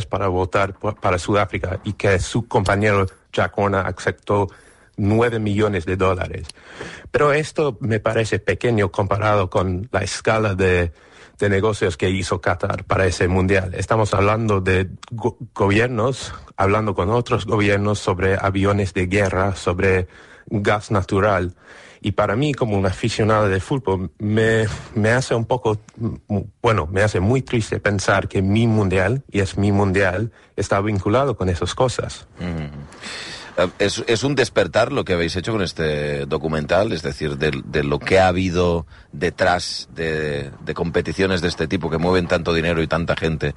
para votar para Sudáfrica y que su compañero Jack Horner aceptó $9 millones. Pero esto me parece pequeño comparado con la escala de negocios que hizo Qatar para ese mundial. Estamos hablando de gobiernos, hablando con otros gobiernos sobre aviones de guerra, sobre gas natural. Y para mí, como un aficionado de fútbol, me hace me hace muy triste pensar que mi mundial, y es mi mundial, está vinculado con esas cosas. Es un despertar lo que habéis hecho con este documental, es decir, de lo que ha habido detrás de competiciones de este tipo que mueven tanto dinero y tanta gente.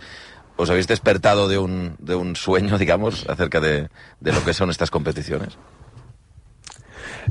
¿Os habéis despertado de un sueño, digamos, acerca de lo que son estas competiciones?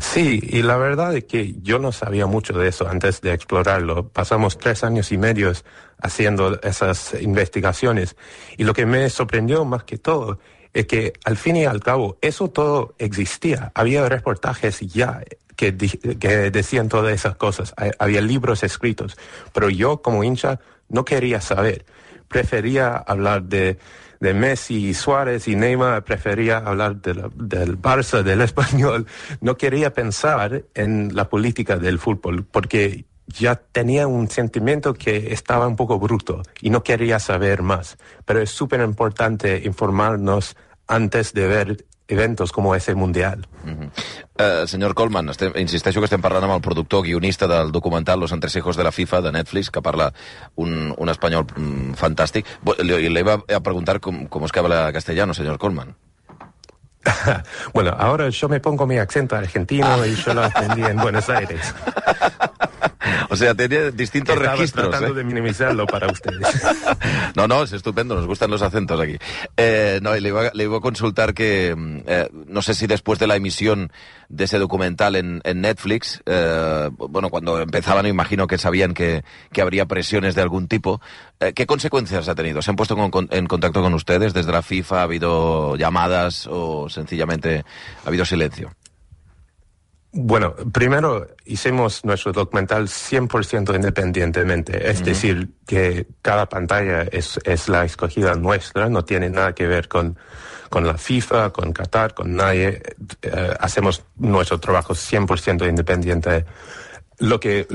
Sí, y la verdad es que yo no sabía mucho de eso antes de explorarlo. Pasamos 3 años y medio haciendo esas investigaciones y lo que me sorprendió más que todo es que al fin y al cabo eso todo existía. Había reportajes ya que decían todas esas cosas. Había libros escritos, pero yo como hincha no quería saber. Prefería hablar de Messi y Suárez y Neymar, prefería hablar del Barça, del Español. No quería pensar en la política del fútbol porque ya tenía un sentimiento que estaba un poco bruto y no quería saber más. Pero es súper importante informarnos antes de ver eventos como ese mundial. Senyor Colman, insisteixo que estem parlant amb el productor guionista del documental Los entresijos de la FIFA, de Netflix, que parla un espanyol fantàstic. Le iba a preguntar cómo es que habla castellano, señor Colman. Bueno, ahora yo me pongo mi acento argentino y yo lo aprendí en Buenos Aires. O sea, tenía distintos registros. Estaba tratando de minimizarlo para ustedes. No, es estupendo, nos gustan los acentos aquí. Y le iba a consultar que, no sé si después de la emisión de ese documental en Netflix, cuando empezaban, imagino que sabían que habría presiones de algún tipo. ¿Qué consecuencias ha tenido? ¿Se han puesto en contacto con ustedes desde la FIFA? ¿Ha habido llamadas o sencillamente ha habido silencio? Bueno, primero hicimos nuestro documental 100% independientemente, es decir, que cada pantalla es la escogida nuestra, no tiene nada que ver con la FIFA, con Qatar, con nadie. Hacemos nuestro trabajo 100% independiente. Lo que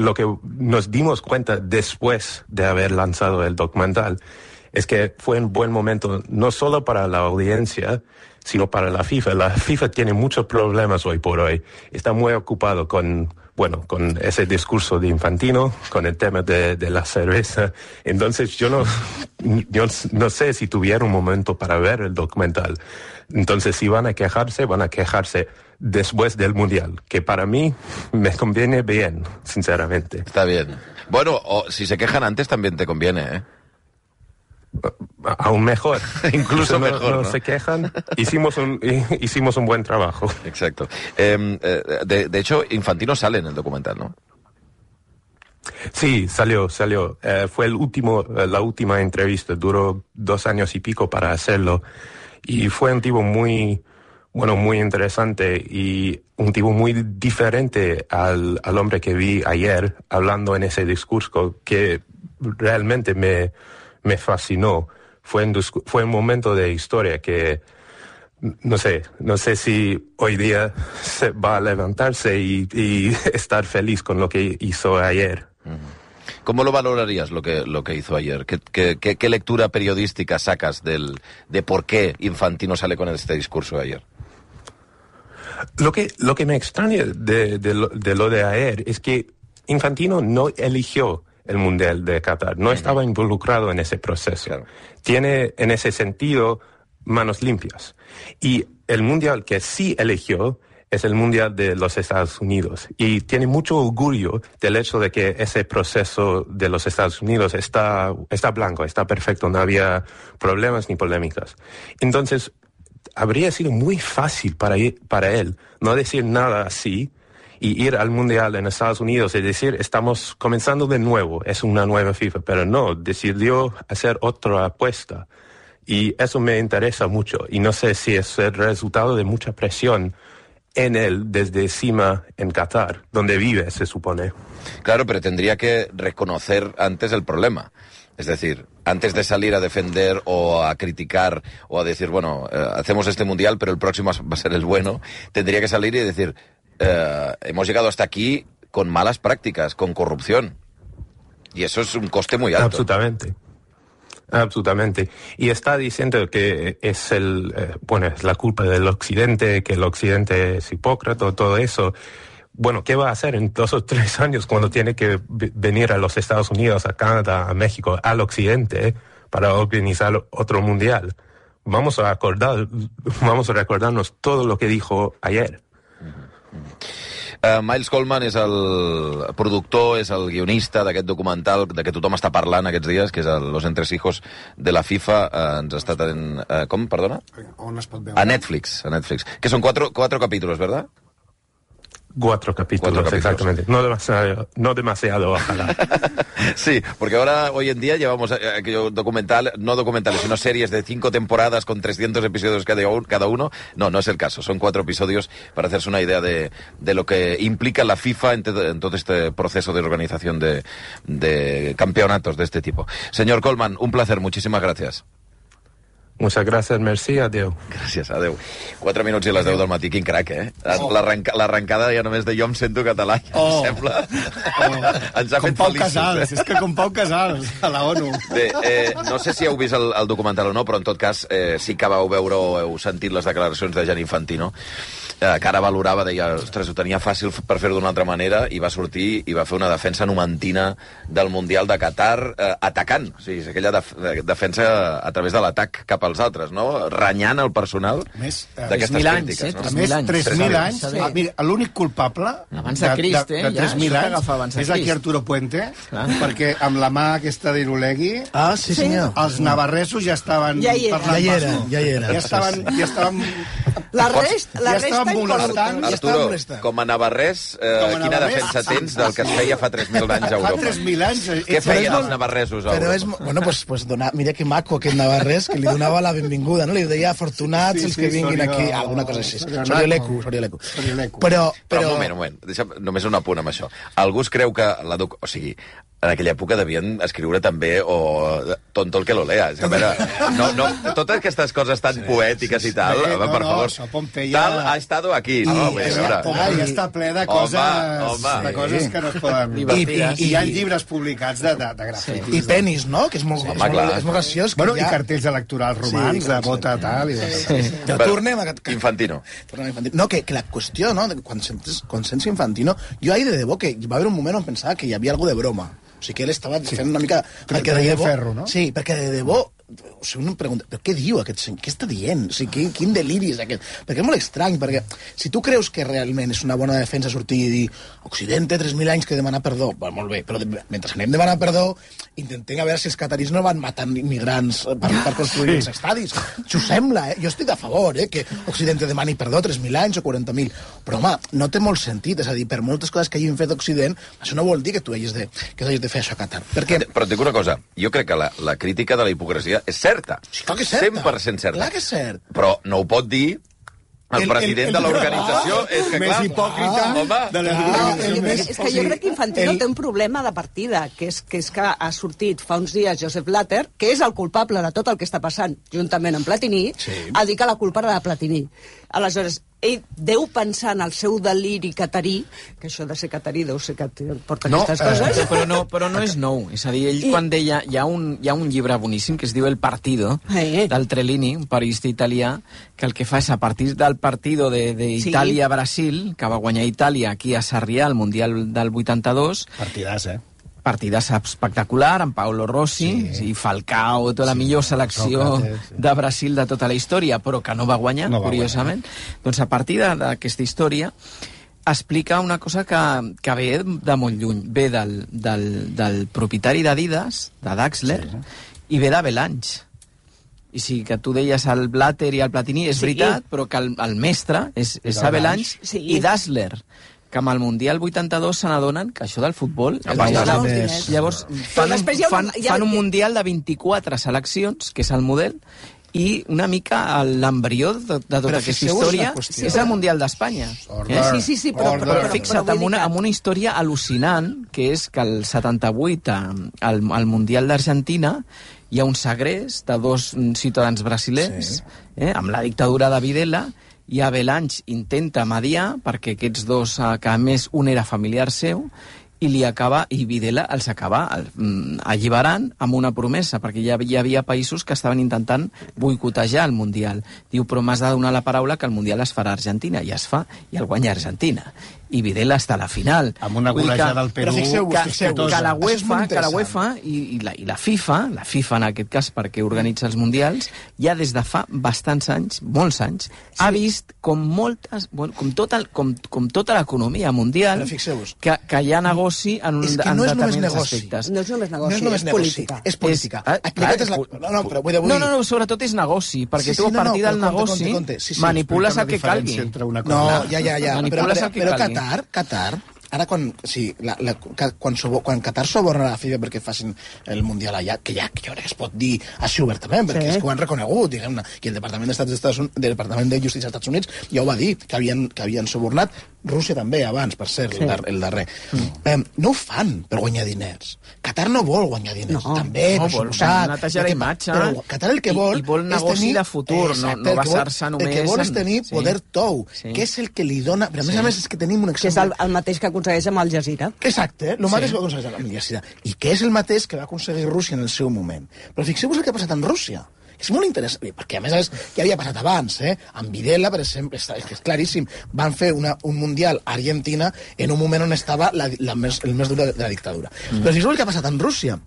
nos dimos cuenta después de haber lanzado el documental es que fue un buen momento no solo para la audiencia, sino para la FIFA. La FIFA tiene muchos problemas hoy por hoy. Está muy ocupado con ese discurso de Infantino, con el tema de la cerveza. Entonces yo no sé si tuviera un momento para ver el documental. Entonces si van a quejarse después del Mundial, que para mí me conviene bien, sinceramente. Está bien. Bueno, o si se quejan antes también te conviene, ¿eh? Aún mejor. Incluso mejor, ¿no? Se quejan. Hicimos un buen trabajo. Exacto. De hecho, Infantino sale en el documental, ¿no? Sí, salió. Fue la última entrevista. Duró 2 años y pico para hacerlo. Y fue un tipo muy interesante y un tipo muy diferente al hombre que vi ayer hablando en ese discurso, que realmente me fascinó. Fue un momento de historia que no sé si hoy día se va a levantarse y estar feliz con lo que hizo ayer. ¿Cómo lo valorarías lo que hizo ayer? ¿Qué lectura periodística sacas de por qué Infantino sale con este discurso de ayer? Lo que me extraña de lo de ayer es que Infantino no eligió el Mundial de Qatar, no estaba involucrado en ese proceso. Claro. Tiene, en ese sentido, manos limpias. Y el Mundial que sí eligió es el Mundial de los Estados Unidos. Y tiene mucho orgullo del hecho de que ese proceso de los Estados Unidos está blanco, está perfecto, no había problemas ni polémicas. Entonces, habría sido muy fácil para él no decir nada así y ir al Mundial en Estados Unidos y decir, estamos comenzando de nuevo, es una nueva FIFA, pero no, decidió hacer otra apuesta. Y eso me interesa mucho, y no sé si es el resultado de mucha presión en él desde encima en Qatar, donde vive, se supone. Claro, pero tendría que reconocer antes el problema. Es decir, antes de salir a defender o a criticar o a decir, bueno, hacemos este Mundial, pero el próximo va a ser el bueno, tendría que salir y decir, hemos llegado hasta aquí con malas prácticas, con corrupción. Y eso es un coste muy alto. Absolutamente. Y está diciendo que es es la culpa del Occidente, que el Occidente es hipócrita, todo eso. Bueno, ¿qué va a hacer en 2 o 3 años cuando tiene que venir a los Estados Unidos, a Canadá, a México, al Occidente, para organizar otro mundial? Vamos a recordarnos todo lo que dijo ayer. Miles Coleman és el productor, és el guionista d'aquest documental de què tothom està parlant aquests dies, que és Los Entresijos de la FIFA. Ens ha estat en... com, perdona? On es pot veure? A Netflix. Que són 4 capítulos, ¿verdad? 4 capítulos, exactamente. No demasiado, ojalá. Sí, porque ahora, hoy en día, llevamos aquello no documentales, sino series de 5 temporadas con 300 episodios cada uno. No es el caso. Son 4 episodios para hacerse una idea de lo que implica la FIFA en todo este proceso de organización de campeonatos de este tipo. Señor Coleman, un placer. Muchísimas gracias. Muchas gracias, merci, adeu. Gràcies, adeu. 4 minuts i les 10 del matí, quin crac, eh? L'arrencada ja només de jo em sento català, em sembla. Ens ha fet feliços. Casals, és que com Pau Casals, a la ONU. Bé, no sé si heu vist el documental o no, però en tot cas sí que vau veure o heu sentit les declaracions de Gianni Infantino, que ara valorava, deia, ostres, ho tenia fàcil per fer-ho d'una altra manera, i va sortir i va fer una defensa numantina del Mundial de Qatar atacant. O sigui, és aquella defensa a través de l'atac cap als altres, no? Renyant el personal d'aquestes crítiques. A més, 3.000 anys. Mira, l'únic culpable abans de Crist, de 3.000 anys és aquí Arturo Puente, perquè amb la mà aquesta d'Irulegui els navarresos ja estaven parlant. Ja estaven la resta molestant. Arturo, com a navarrès, quina defensa tens del que es feia fa 3.000 anys a Europa? Fa 3.000 anys... Què feien els navarresos a Europa? Bueno, pues mira que maco aquest navarrès, que li donava la benvinguda, no? Li deia afortunats els que vinguin aquí, alguna cosa així. Sorieleku. Però... Un moment. Deixa'm només un apunt amb això. Algú es creu que o sigui, en aquella època devien escriure també tonto el que lo lea. A veure, totes aquestes coses tan poètiques i tal, per favor, tal ha estado aquí, no? Ja està ple de coses que no es poden... I hi ha llibres publicats de grafits. I penis, no? Que és molt graciós. Bueno, i cartells electorals romans, de vota tal... Tornem a... Infantino. No, que la qüestió, no? Quan sents Infantino, jo ahir de debò que va haver un moment on pensava que hi havia alguna de broma. O sigui que ell estava fent una mica... Perquè de ferro, no? Sí, perquè de debò... O sigui, uno em pregunta, però què diu aquest senyor? Què està dient? O sigui, quin deliri és aquest? Perquè és molt estrany, perquè si tu creus que realment és una bona defensa sortir i dir Occidente, 3.000 anys que demanar perdó, molt bé, però mentre anem demanar perdó, intentem a veure si els cataris no van matant immigrants per construir els estadis. Això sembla, Jo estic a favor, que Occidente demani perdó 3.000 anys o 40.000. Però, home, no té molt sentit. És a dir, per moltes coses que hagin fet Occident, això no vol dir que tu hagis de fer això a Qatar. Però et dic una cosa, jo crec que la crítica de la hipocresia és certa. Sí, clar que és certa. 100% certa. Clar que és cert. Però no ho pot dir El president de l'organització és que, clar... Més hipòcrita de l'organització. És que jo crec que Infantino té un problema de partida, que és que ha sortit fa uns dies Josep Blatter, que és el culpable de tot el que està passant, juntament amb Platini, a dir que la culpa era de Platini. Aleshores, ell deu pensar en el seu deliri catarí, que això de ser catarí deu ser que porta aquestes coses. Però no és nou. És a dir, ell quan deia... Hi ha un llibre boníssim que es diu El Partido, del Trellini, un periodista italià, que el que fa és, a partir del partido d'Itàlia-Brasil, que va guanyar Itàlia aquí a Sarrià, al Mundial del 82... Partidàs espectacular, amb Paolo Rossi i Falcao, tota la millor selecció de Brasil de tota la història, però que no va guanyar, curiosament. Doncs a partir d'aquesta història explica una cosa que ve de molt lluny. Ve del propietari d'Adidas, de Daxler, i ve d'Avalanche. I sí, que tu deies el Blatter i el Platini, és veritat, però que el mestre és Avalanche i Dassler, que amb el Mundial 82 se n'adonen que això del futbol... Llavors fan un Mundial de 24 seleccions, que és el model, i una mica l'embrió de tota aquesta història és el Mundial d'Espanya. Sí, però fixa't, amb una història al·lucinant, que és que el 78, al Mundial d'Argentina, hi ha un segrest de 2 ciutadans brasilers, amb la dictadura de Videla, i Avalanche intenta mediar perquè aquests dos, que a més un era familiar seu, i Videla els acaba alliberant amb una promesa, perquè hi havia països que estaven intentant boicotejar el Mundial. Diu, però m'has de donar la paraula que el Mundial es farà a Argentina, i es fa, i el guanya Argentina. I Videla està a la final. Amb una golejada del Perú... Que la UEFA i la FIFA en aquest cas, perquè organitza els Mundials, ja des de fa bastants anys, molts anys, ha vist com tota l'economia mundial que hi ha negoci en determinats aspectes. No és només negoci, és política. És política. No, sobretot és negoci, perquè tu a partir del negoci manipules el que calgui. No, ja. Però Qatar, ara quan Qatar suborna la FIFA perquè facin el Mundial allà, que jo crec que es pot dir així obertament, perquè és que ho han reconegut, diguem-ne, i el Departament de Justícia dels Estats Units ja ho va dir, que havien subornat, Rússia també, abans, per ser el darrer. No ho fan per guanyar diners. Qatar no vol guanyar diners, també, per suposat. Netejar la imatge. Però Qatar el que vol... I vol negoci de futur, no basar-se només... El que vol és tenir poder tou, que és el que li dona... Però a més és que tenim un exemple... Que és el mateix que aconsegueix amb Al Jazeera. Exacte, el mateix que aconsegueix amb Al Jazeera. I que és el mateix que va aconseguir Rússia en el seu moment. Però fixeu-vos el que ha passat en Rússia. És molt interessant, perquè a més ja havia passat abans, amb Videla, per exemple, és claríssim, van fer un Mundial a Argentina en un moment on estava el més dur de la dictadura. Però fixeu el que ha passat en Rússia.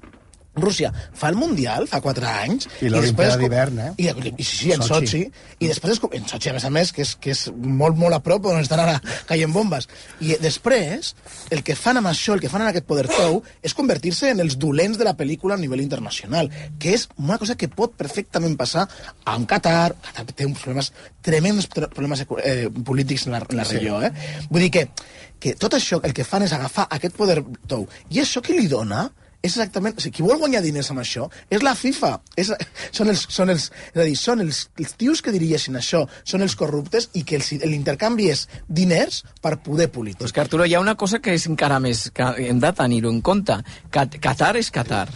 Rússia fa el Mundial, fa 4 anys... I l'Olimpiada d'hivern, Sí, en Sochi. I després, en Sochi, a més, que és molt, molt a prop, on estan ara caient bombes. I després, el que fan amb això, el que fan en aquest poder tou, és convertir-se en els dolents de la pel·lícula a nivell internacional, que és una cosa que pot perfectament passar amb Qatar. Qatar té uns problemes, tremendos problemes polítics en la regió. Vull dir que tot això, el que fan és agafar aquest poder tou. I això que li dona... és exactament... O sigui, qui vol guanyar diners amb això és la FIFA. Són els tios que dirigeixen això, són els corruptes, i que l'intercanvi és diners per poder polític. Però és que, Arturo, hi ha una cosa que és encara més... que hem de tenir-ho en compte. Qatar és Qatar,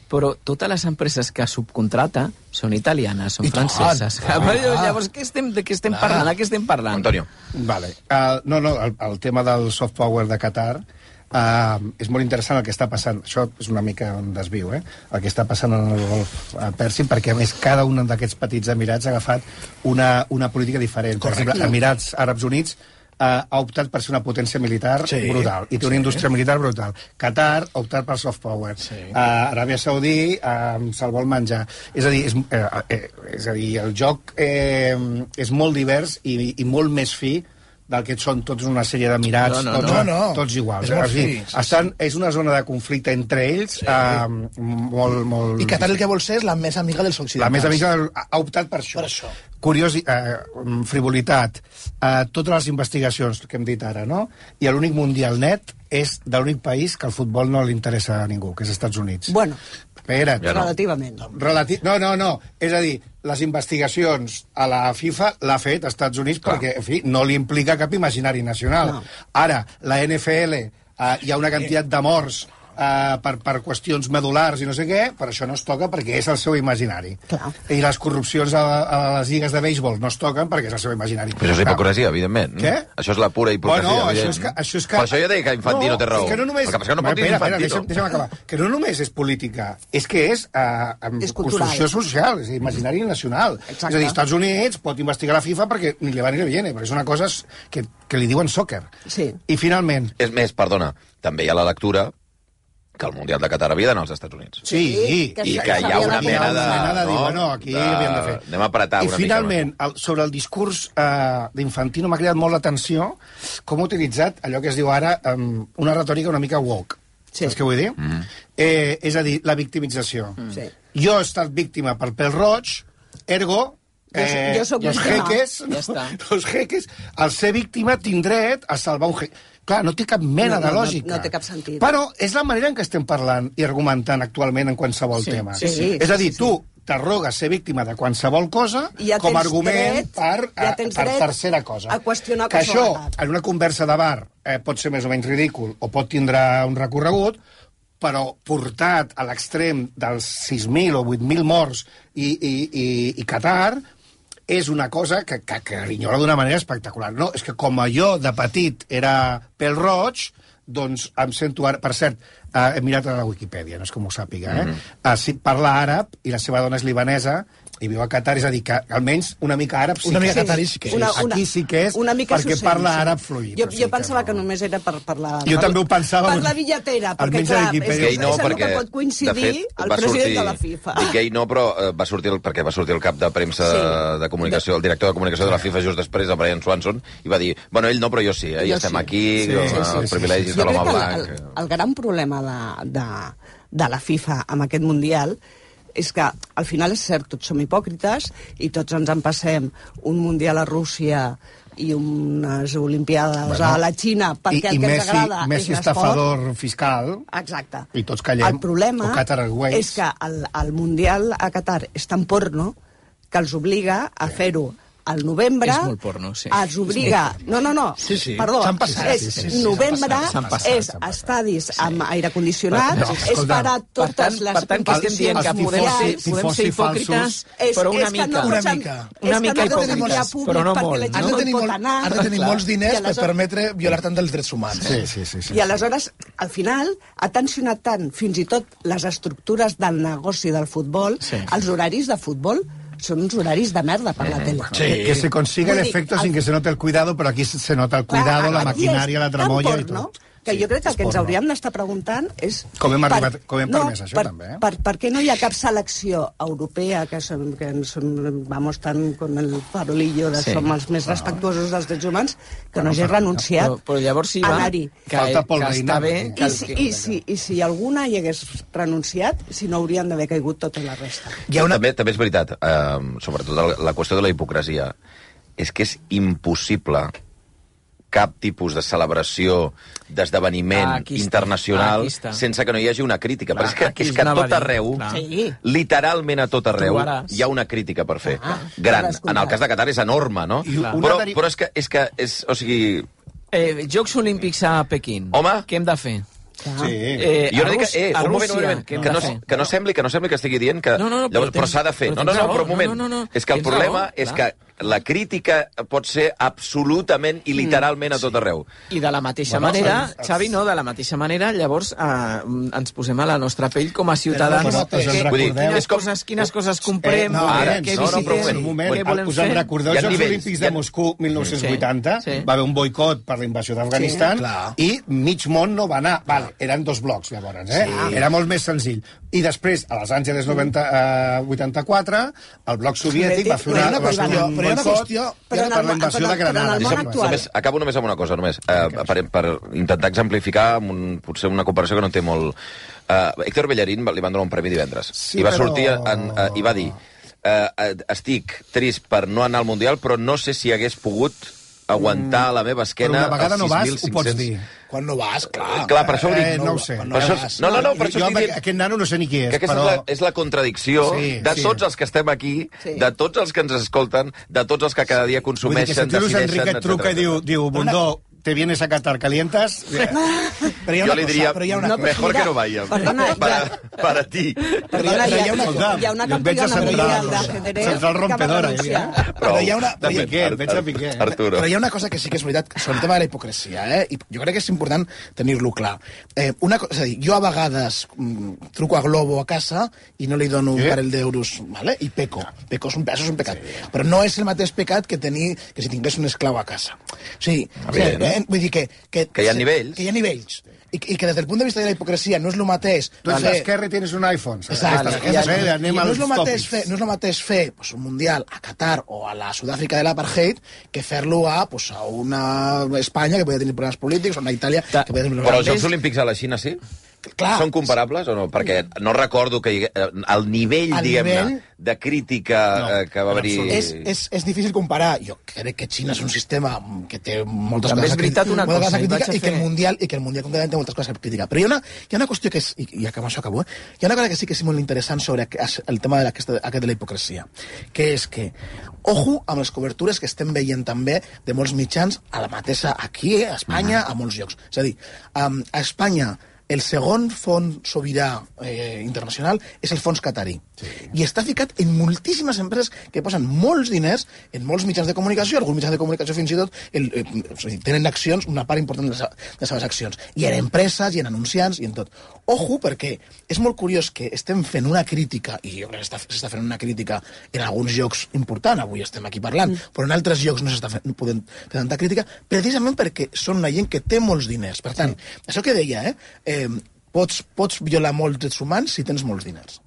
però totes les empreses que subcontrata són italianes, són franceses. Llavors, de què estem parlant? De què estem parlant? Antonio. Vale. El tema del soft power de Qatar... és molt interessant el que està passant. Això és una mica un desviu, el que està passant en el Golf Pèrsic, perquè a més cada un d'aquests petits emirats ha agafat una política diferent. Per exemple, Emirats Àrabs Units ha optat per ser una potència militar brutal, i té una indústria militar brutal. Qatar ha optat per soft power. Aràbia Saudí se'l vol menjar. És a dir, el joc és molt divers i molt més fi del que són tots una sèrie d'emirats, tots iguals. És una zona de conflicte entre ells molt... I Qatar el que vol ser és la més amiga dels occidentals. La més amiga ha optat per això. Curiós, frivolitat, totes les investigacions que hem dit ara, no? I l'únic mundial net és de l'únic país que el futbol no li interessa a ningú, que és als Estats Units. Bueno. Espera't. Relativament. No. És a dir, les investigacions a la FIFA l'ha fet als Estats Units perquè, en fi, no li implica cap imaginari nacional. Ara, la NFL, hi ha una quantitat de morts per qüestions medulars i no sé què, per això no es toca perquè és el seu imaginari. Clar. I les corrupcions a les lligues de béisbol no es toquen perquè és el seu imaginari. Però això és hipocresia, evidentment. Què? Això és la pura hipocresia. Bueno, això és que... Per això jo deia que Infantino té raó. És que no només... El que passa que no pot dir Infantino. Deixa'm acabar. Que no només és política, és que és construcció social, és imaginari nacional. Exacte. És a dir, als Estats Units pot investigar la FIFA perquè ni le va ni le viene, perquè és una cosa que li diuen soccer. Sí. I finalment... És més, perdona, també hi ha la lectura que el Mundial de Qatar havia d'anar als Estats Units. Sí, i que hi ha una mena de... Bueno, aquí havíem de fer. Anem a apretar una mica. I finalment, sobre el discurs d'Infantino m'ha cridat molt l'atenció com ha utilitzat allò que es diu ara una retòrica una mica woke. Saps què vull dir? És a dir, la victimització. Jo he estat víctima pel pèl roig, ergo... Jo soc los jeques, al ser víctima, tinc dret a salvar un jeque. Clar, no té cap mena de lògica. No té cap sentit. Però és la manera en què estem parlant i argumentant actualment en qualsevol tema. És a dir, tu t'arrogues ser víctima de qualsevol cosa com a argument per tercera cosa. A qüestionar que això, en una conversa de bar, pot ser més o menys ridícul o pot tindre un recorregut, però portat a l'extrem dels 6.000 o 8.000 morts i Qatar, és una cosa que grinyola d'una manera espectacular. No, és que com jo de petit era pèl roig, doncs em sento ara... Per cert, he mirat a la Wikipedia, no és com ho sàpiga, parla àrab i la seva dona és libanesa i viu a Qatar, és a dir, que almenys una mica àrab sí que és. Una mica catarí sí que és. Aquí sí que és, perquè parla àrab fluid. Jo pensava que només era per la... Jo també ho pensava. Per la billetera, perquè clar, és no, el que pot coincidir el president de la FIFA. Dic gay no, però va sortir el cap de premsa de comunicació, el director de comunicació de la FIFA just després, el Brian Swanson, i va dir, bueno, ell no, però jo sí, ja estem aquí, privilegis de l'home blanc. El gran problema de la FIFA amb aquest Mundial és que al final és cert, tots som hipòcrites i tots ens en passem un Mundial a Rússia i unes Olimpiades a la Xina perquè el que ens agrada és l'esport. Messi estafador fiscal. Exacte. I tots callem. El problema és que el Mundial a Qatar és tan porno que els obliga a fer-ho al novembre... És molt porno, sí. Es obliga... No. Perdó. S'han passat. Novembre, és estadis amb aire condicionat, és parar totes les... Per tant, que estem dient que podem ser hipòcrites, però una mica. Una mica hipòcrites, però no molt. Has de tenir molts diners per permetre violar tant dels drets humans. Sí. I aleshores, al final, ha tensionat tant fins i tot les estructures del negoci del futbol, els horaris de futbol, son uns horaris de merda per la tele. Sí, que se consiga el efecto sin que se note el cuidado, però aquí se nota el cuidado, la maquinària, la tramolla i tot. Que jo crec que el que ens hauríem d'estar preguntant és... Com hem permès això, també. Per què no hi ha cap selecció europea que vamos tan con el farolillo de som els més respectuosos dels drets humans que no hagi renunciat però llavors sí, a anar-hi. Falta Pol Reina. I si alguna hi hagués renunciat, si no haurien d'haver caigut tota la resta. També és veritat, sobretot la qüestió de la hipocresia, és que és impossible cap tipus de celebració, d'esdeveniment internacional sense que no hi hagi una crítica. Però és que a tot arreu, literalment a tot arreu, hi ha una crítica per fer. Gran. En el cas de Qatar és enorme, no? Però és que... O sigui... Jocs Olímpics a Pequín. Home. Què hem de fer? Jo no dic un moment, que no sembli que estigui dient que... Però s'ha de fer. No, però un moment. És que el problema és que la crítica pot ser absolutament i literalment a tot arreu. I de la mateixa manera, Xavi, no, de la mateixa manera, llavors ens posem a la nostra pell com a ciutadans. Quines coses comprem, què visitem, què volem fer. Us en recordeu els Jocs Olímpics de Moscou 1980? Va haver un boicot per la invasió d'Afganistan i mig món no va anar. Eren dos blocs, llavors, era molt més senzill. I després, a Los Angeles 84, el bloc soviètic va fer una qüestió per la invasió de Granada. Acabo només amb una cosa, per intentar exemplificar potser una comparació que no té molt... Héctor Bellerín li van donar un premi divendres i va sortir i va dir estic trist per no anar al Mundial, però no sé si hagués pogut aguantar la meva esquena... Però una vegada no vas, ho pots dir. Quan no vas, clar. Clar, per això ho dic. No ho sé. No, per això jo aquest nano no sé ni qui és, que aquesta és la contradicció de tots els que estem aquí, de tots els que ens escolten, de tots els que cada dia consumeixen, decideixen, etc. Enric et truca i diu, Bundó, ¿te vienes a Qatar calientas? Yo le diría, mejor que no vaya. Para ti. Perdona, hi ha una campiona mundial d'ajedrez Central rompedora. Però hi ha una... Veig a Piqué. Però hi ha una cosa que sí que és veritat, sobre el tema de la hipocresia, i jo crec que és important tenir-lo clar. És a dir, jo a vegades truco a Globo a casa i no li dono un parell d'euros, i peco. Això és un pecat. Però no és el mateix pecat que si tingués un esclau a casa. O sigui, vull dir que hi ha nivells. Que hi ha nivells. I que des del punt de vista de la hipocresia no és el mateix... Tu ets d'esquerra i tens un iPhone. Exacte. No és el mateix fer un mundial a Qatar o a la Sud-àfrica de l'apartheid que fer-lo a una Espanya que podria tenir problemes polítics o una Itàlia que podria tenir problemes... Però els Jocs Olímpics a la Xina sí? Clar. Són comparables o no? Perquè no recordo que el nivell, diguem-ne, de crítica que va haver-hi... És difícil comparar. Jo crec que Xina és un sistema que té moltes coses a criticar i que el Mundial concretament té moltes coses a criticar. Però hi ha una qüestió que és, i amb això acabo, hi ha una cosa que sí que és molt interessant sobre el tema aquest de la hipocresia, que és que, ojo amb les cobertures que estem veient també de molts mitjans a la mateixa aquí, a Espanya, a molts llocs. És a dir, a Espanya el segon fons sobirà internacional és el fons qatari. I està ficat en moltíssimes empreses que posen molts diners en molts mitjans de comunicació, alguns mitjans de comunicació fins i tot tenen accions, una part important de les seves accions. I en empreses, i en anunciants, i en tot. Ojo, perquè és molt curiós que estem fent una crítica, i jo crec que s'està fent una crítica en alguns llocs important, avui estem aquí parlant, però en altres llocs no s'està podent fer tanta crítica, precisament perquè són una gent que té molts diners. Per tant, això que deia, pots violar molts drets humans si tens molts diners.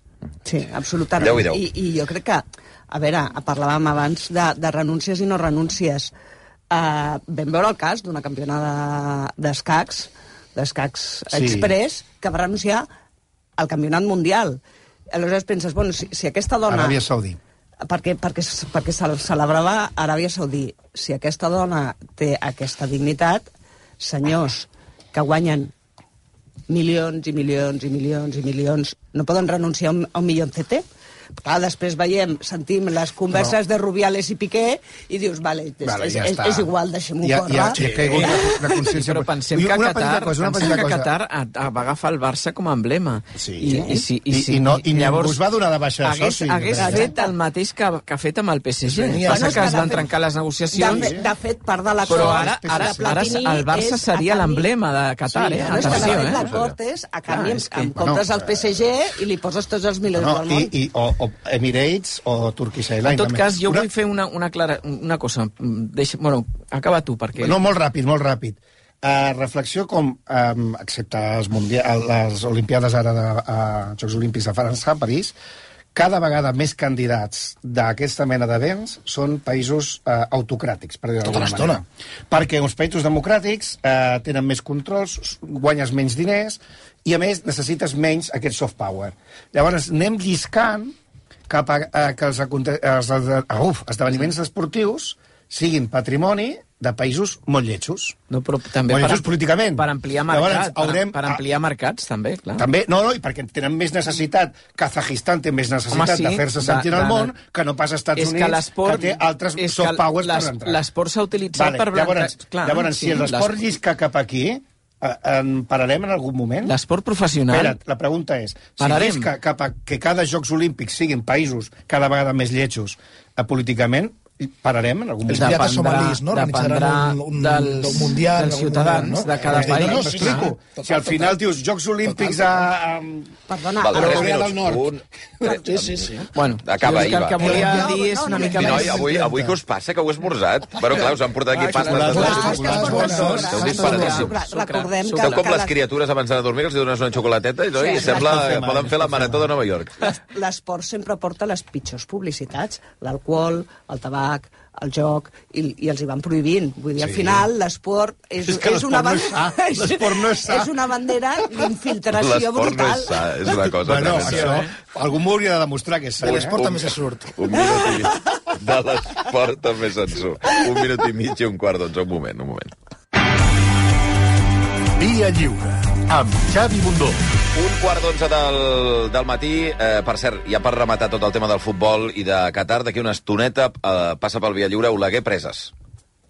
Sí, absolutament. I jo crec que, a veure, parlàvem abans de renúncies i no renúncies. Vam veure el cas d'una campiona d'escacs express, que va renunciar al campionat mundial. Aleshores penses, bueno, si aquesta dona... Aràbia Saudí. Perquè se celebrava a Aràbia Saudí. Si aquesta dona té aquesta dignitat, senyors que guanyen milions i milions i milions i milions, no poden renunciar a un milloncete? Clar, després sentim les converses de Rubiales i Piqué i dius, vale, és igual, deixem-ho córrer. Ja ha caigut la consciència. Però pensem que Qatar va agafar el Barça com a emblema. I ningú es va donar de baixa de soci. Hagués fet el mateix que ha fet amb el PSG. Passa que es van trencar les negociacions. De fet, part de l'acord... Però ara el Barça seria l'emblema de Qatar, atenció. L'acord és, a canvi, em compres el PSG i li poses tots els milions del món. O Emirates o Turkish Airlines. En tot cas, jo vull fer una cosa. Bueno, acaba tu, perquè... No, molt ràpid. Reflexió com, excepte les Olimpiades ara de Jocs Olímpics de França, a París, cada vegada més candidats d'aquesta mena d'events són països autocràtics, per dir-ho d'alguna manera. Perquè uns països democràtics tenen més controls, guanyes menys diners i, a més, necessites menys aquest soft power. Llavors, anem lliscant cap a que els esdeveniments esportius siguin patrimoni de països molt lletjos. No, però també molt lletjos políticament. Per ampliar mercats, per ampliar mercats, també, clar. També, i perquè tenen més necessitat, Kazajistan té més necessitat de fer-se sentir al món que no pas Estats Units, que té altres soft powers per entrar. L'esport s'ha utilitzat per... Llavors, si l'esport llisca cap aquí, en pararem en algun moment? L'esport professional... Espera't, la pregunta és, si llisca cap a que cada Jocs Olímpics siguin països cada vegada més lletjos políticament, pararem en algun moment? Els pirates somalis, no? Organitzaran un mundial... Dels ciutadans de cada país. No, m'explico. Si al final dius Jocs Olímpics a... Perdona, a Corea del Nord. Sí. Bueno, acaba ahir, el que volia dir és una mica més... Avui què us passa? Que heu esmorzat? Bueno, clar, us han portat aquí pastes. Recordem que... Esteu com les criatures abans d'anar a dormir, que els dones una xocolateta i sembla que poden fer la marató de Nova York. L'esport sempre porta les pitjors publicitats. L'alcohol, el tabac, el joc, i els hi van prohibint. Vull dir, al final, l'esport és una bandera... L'esport no és sa. És una bandera d'infiltració brutal. L'esport no és sa, és una cosa... Bueno, això, algú m'ho hauria de demostrar que és sa. L'esport també se surt. Un minut. de l'esport també se'n surt. 1 minut i mig i 1:15. Un moment. Via Lliure, amb Xavi Bundó. 1:15 del matí. Per cert, ja per rematar tot el tema del futbol i de Qatar, d'aquí una estoneta passa pel Via Lliure Oleguer Preses.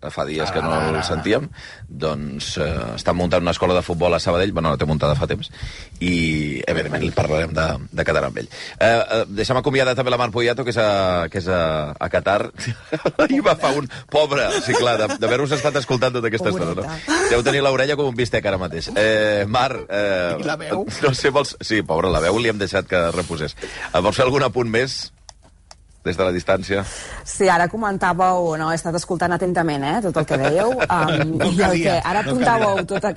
Fa dies que no el sentíem. Doncs estan muntant una escola de futbol a Sabadell. Bueno, la té muntada fa temps. I, evidentment, li parlarem de Qatar amb ell. Deixa'm acomiadar també la Mar Poyato, que és a Qatar. I va fa un... Pobre, sí, clar, d'haver-vos estat escoltant tota aquesta estona, no? Deu tenir l'orella com un bistec ara mateix. Mar... I la veu? No sé, vols... Sí, pobra, la veu li hem deixat que reposés. Vols fer algun apunt més? Des de la distància. Sí, ara comentàveu, no, he estat escoltant atentament, tot el que dèieu, i el que ara apuntàveu tota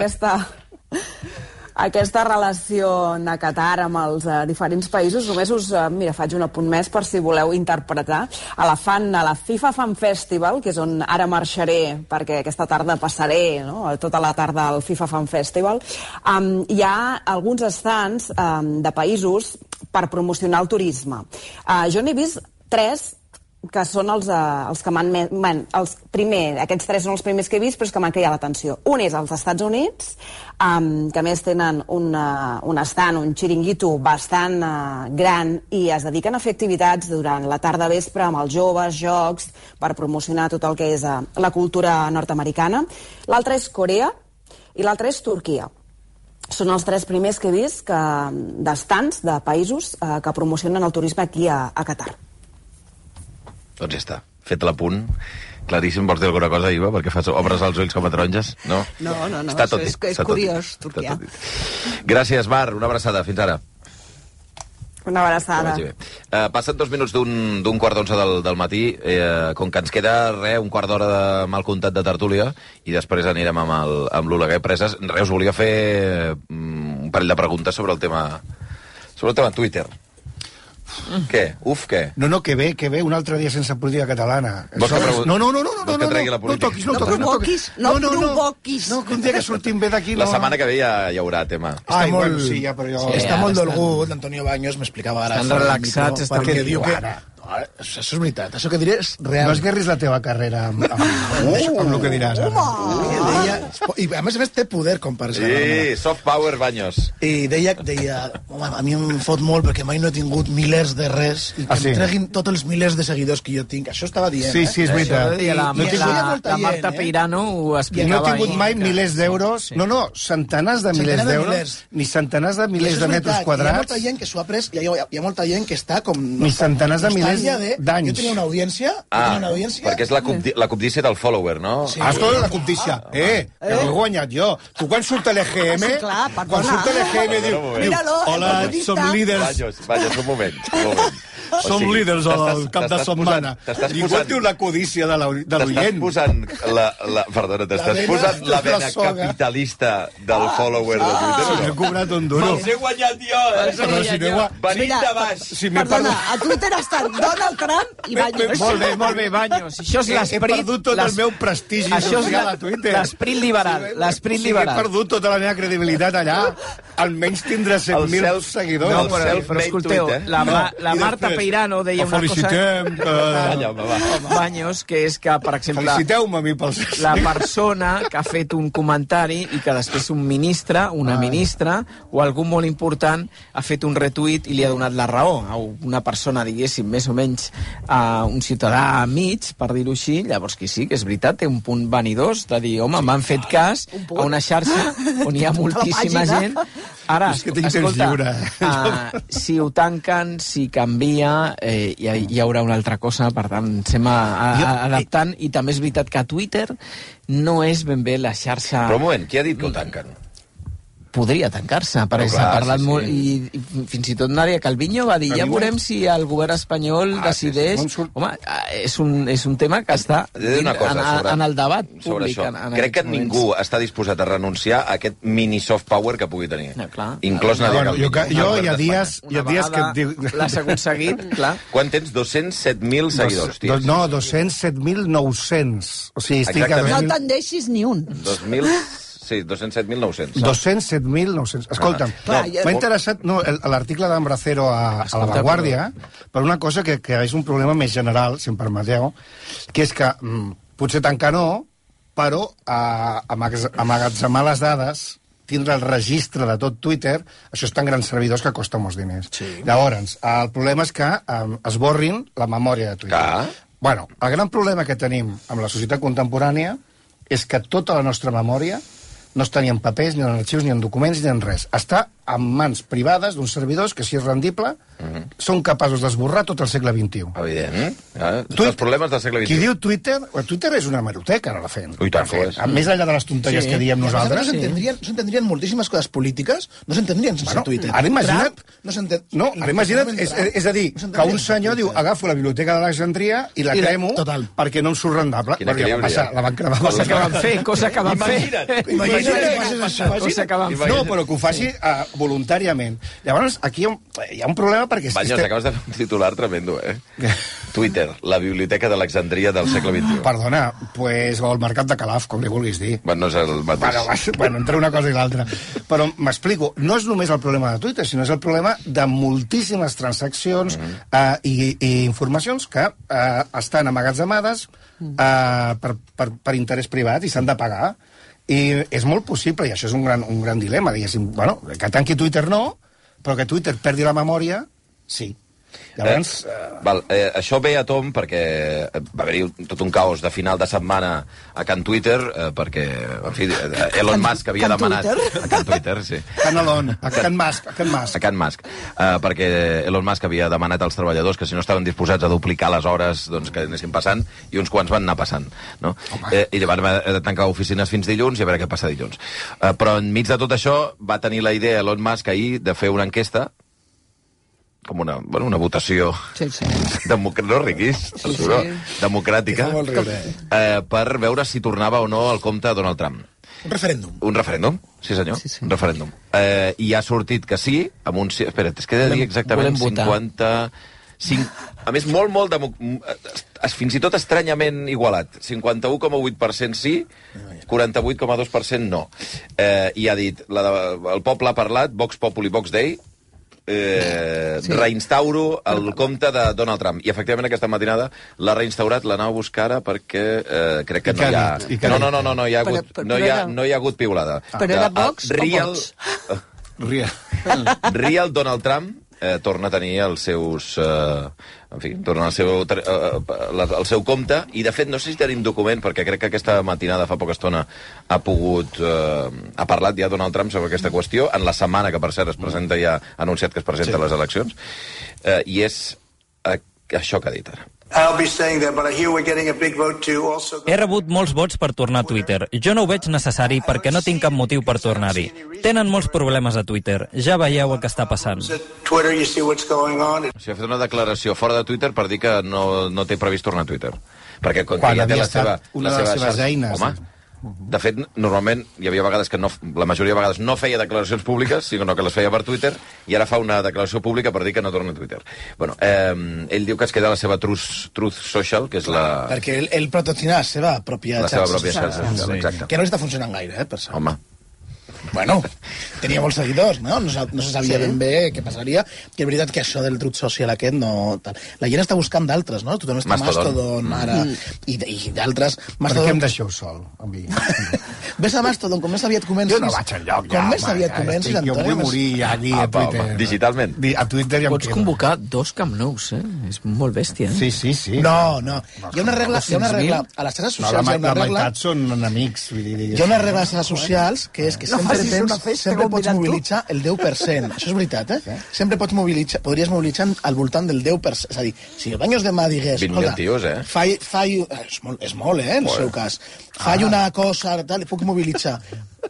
aquesta relació de Qatar amb els diferents països, només us, faig un apunt més per si voleu interpretar. A la FIFA Fan Festival, que és on ara marxaré, perquè aquesta tarda passaré, no?, tota la tarda al FIFA Fan Festival, hi ha alguns stands de països per promocionar el turisme. Jo n'he vist 3 que són els que m'han... Aquests 3 són els primers que he vist, però és que m'han cridat l'atenció. Un és als Estats Units, que a més tenen un stand, un xiringuito bastant gran, i es dediquen a fer activitats durant la tarda vespre amb els joves, jocs, per promocionar tot el que és la cultura nord-americana. L'altre és Corea i l'altre és Turquia. Són els 3 primers que he vist d'estands de països que promocionen el turisme aquí a Qatar. Doncs ja està, fet l'apunt. Claríssim, vols dir alguna cosa, Iva? Perquè obres els ulls com a taronges? No? No, és curiós, Turquia. Gràcies, Mar, una abraçada, fins ara. Una abraçada. Passen 2 minuts d'un 10:15 del matí, com que ens queda un quart d'hora de mal comptat de tertúlia, i després anirem amb l'Oleguer Preses. Us volia fer un parell de preguntes sobre el tema Twitter. Què? Què? No, que bé, un altre dia sense política catalana. No tregui la política. No provoquis. No, que un dia que sortim bé d'aquí... La setmana que ve ja hi haurà tema. Està molt dolgut, l'Antonio Baños m'explicava ara. Estan relaxats, perquè diu que... Això és veritat, això que diré és real. No esguerris la teva carrera amb el que diràs ara. I a més té poder com per ser. Sí, soft power Baños. I deia, home, a mi em fot molt perquè mai no he tingut milers de res i que em treguin tots els milers de seguidors que jo tinc. Això estava dient, Sí, és veritat. La Marta Peirano ho explicava. No he tingut mai milers d'euros, centenars de milers d'euros, ni centenars de milers de metres quadrats. Hi ha molta gent que s'ho ha pres, hi ha molta gent que està com... Ni centenars de milers d'anys. Jo tenia una audiència... perquè és la cobdícia del follower, no? Escolta, la cobdícia. Que ho he guanyat jo. Tu quan surt l'EGM... Quan surt l'EGM diu... Hola, som líders... Vaja, un moment. Som líders al cap de setmana. Ningú diu la codícia de l'oient. T'estàs posant la vena capitalista del follower de Twitter. Si m'he cobrat un duro. Els he guanyat jo, Venim de baix. Perdona, a Twitter estan Donald Trump i Baños. Molt bé, Baños. Això és l'esperit... He perdut tot el meu prestigi social a Twitter. L'esperit liberal. He perdut tota la meva credibilitat allà. Almenys tindrà 100.000 seguidors. No, però escolteu, la Marta Peirano deia una cosa... Baños, que és que, per exemple... Feliciteu-me a mi pels... La persona que ha fet un comentari i que després un ministre, una ministra o algú molt important ha fet un retuit i li ha donat la raó a una persona, diguéssim, més o menys un ciutadà mig, per dir-ho així. Llavors que sí, que és veritat, té un punt vanidós de dir, home, m'han fet cas a una xarxa on hi ha moltíssima gent. Ara, escolta, si ho tanquen, si canvia, hi haurà una altra cosa, per tant, estem adaptant, i també és veritat que Twitter no és ben bé la xarxa... Però un moment, qui ha dit que ho tanquen? Podria tancar-se, perquè s'ha parlat molt, i fins i tot Nadia Calviño va dir, ja veurem si el govern espanyol decideix... Home, és un tema que està en el debat públic. Crec que ningú està disposat a renunciar a aquest mini soft power que pugui tenir. Inclòs Nadia Calviño. Jo hi ha dies que... L'has aconseguit, clar. Quan tens 207.000 seguidors, tio? No, 207.900. O sigui, estic... No te'n deixis ni un. 2.000... Sí, 207.900. 207.900. Escolta'm, m'ha interessat l'article d'Ambracero a La Vanguardia per una cosa que és un problema més general, si em permeteu, que és que potser tancar no, però amagatzemar les dades, tindre el registre de tot Twitter, això està en grans servidors que costa molts diners. Llavors, el problema és que esborrin la memòria de Twitter. Bueno, el gran problema que tenim amb la societat contemporània és que tota la nostra memòria no està ni en papers, ni en arxius, ni en documents, ni en res. Està en mans privades d'uns servidors que, si és rendible, són capaços d'esborrar tot el segle XXI. Evident. Els problemes del segle XXI. Qui diu Twitter... Twitter és una hemeroteca, no la fem. Ui, tant que és. Més enllà de les tonteries que diem nosaltres... No s'entendrien moltíssimes coses polítiques, no s'entendrien sense Twitter. Ara imagina't... No, ara imagina't, és a dir, que un senyor diu, agafo la biblioteca d'Alexandria i la cremo perquè no em surt rendable. La van cremar. Cosa que van fer. No, però que ho faci voluntàriament. Llavors, aquí hi ha un problema perquè... Banyos, acabes de fer un titular tremendo, Twitter, la biblioteca d'Alexandria del segle XXI. Perdona, pues, o el mercat de Calaf, com li vulguis dir. Bueno, no és el mateix. Bueno, entre una cosa i l'altra. Però m'explico, no és només el problema de Twitter, sinó és el problema de moltíssimes transaccions i informacions que estan amagatzemades per interès privat i s'han de pagar. I és molt possible, i això és un gran dilema, diguéssim, bueno, que tanqui Twitter no, però que Twitter perdi la memòria, sí. Llavors... Això ve a tom perquè va haver-hi tot un caos de final de setmana a Can Twitter, perquè, en fi, Elon Musk havia demanat... A Can Twitter, sí. A Can Musk. A Can Musk. Perquè Elon Musk havia demanat als treballadors que si no estaven disposats a duplicar les hores, doncs que anessin passant, i uns quants van anar passant, no? I van haver de tancar oficines fins dilluns i a veure què passa dilluns. Però enmig de tot això va tenir la idea Elon Musk ahir de fer una enquesta com una votació democràtica per veure si tornava o no al compte Donald Trump. Un referèndum. Un referèndum, sí senyor, un referèndum. I ha sortit que sí, amb un... Espera't, és que he de dir exactament 55... A més, molt fins i tot estranyament igualat. 51,8% sí, 48,2% no. I ha dit, el poble ha parlat, Vox Populi, Vox Dei, reinstauro el compte de Donald Trump. I efectivament aquesta matinada l'ha reinstaurat, l'anava a buscar ara perquè crec que no hi ha... No hi ha hagut piulada. Però era Vox o Vox? Real Donald Trump torna a tenir els seus... en fi, torna al seu compte, i de fet no sé si tenim document, perquè crec que aquesta matinada fa poca estona ha parlat ja Donald Trump sobre aquesta qüestió, en la setmana que per cert es presenta, ja ha anunciat que es presenta a les eleccions, i és això que ha dit ara. He rebut molts vots per tornar a Twitter. Jo no ho veig necessari perquè no tinc cap motiu per tornar-hi. Tenen molts problemes a Twitter. Ja veieu el que està passant. O sigui, ha fet una declaració fora de Twitter per dir que no té previst tornar a Twitter. Perquè quan ja té una de les seves eines... Home, de fet, normalment hi havia vegades que la majoria de vegades no feia declaracions públiques, sinó que les feia per Twitter, i ara fa una declaració pública per dir que no torna a Twitter. Bueno, ell diu que es queda la seva Truth Social, que és la... Perquè ell protecciona la seva pròpia xarxa social, exacte. Que no està funcionant gaire, per cert. Home. Bueno, tenia molts seguidors, no? No se sabia ben bé què passaria, que és veritat que això del Truth Social aquest no... La gent està buscant d'altres, no? Tothom està Mastodon ara, i d'altres... Per què em deixeu sol, amb mi? Ves a Mastodon, com més aviat comences... Jo no vaig enlloc, ja, com més aviat comences, Antoni... Jo vull morir ja allí a Twitter. Digitalment. A Twitter ja em Pots convocar 2 Camp Nous, És molt bèstia, Sí. No. Hi ha una regla... A les xarxes socials hi ha una regla... La meitat són enemics, vull dir... Hi ha una regla a les xarxes socials que és que sempre pots mobilitzar el 10%. Això és veritat, Sempre podries mobilitzar al voltant del 10%. És a dir, si el Banyos demà digués... 20.000 tios, És molt, en el seu cas. Faig una cosa, tal, puc mobilitzar.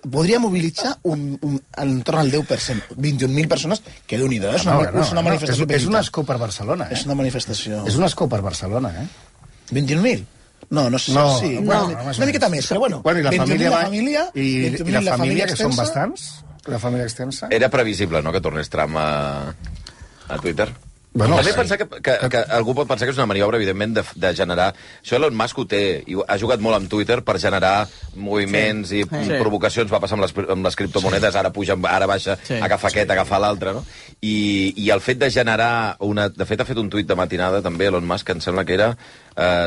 Podria mobilitzar entorn al 10%. 21.000 persones, que Déu-n'hi-do, és una manifestació. És un escó per Barcelona, És una manifestació. És un escó per Barcelona, 21.000? No sé. Sí. Una miqueta més, però bueno. I la 20.000 I la família, que són bastants? La família extensa? Era previsible, no?, que tornés Trump a Twitter. També pensar que algú pot pensar que és una maniobra, evidentment, de generar... Això Elon Musk ho té, i ha jugat molt amb Twitter per generar moviments i provocacions. Va passar amb les criptomonedes, ara puja, ara baixa, agafa aquest, agafa l'altre, no? I el fet de generar una... De fet, ha fet un tuit de matinada, també, Elon Musk, que em sembla que era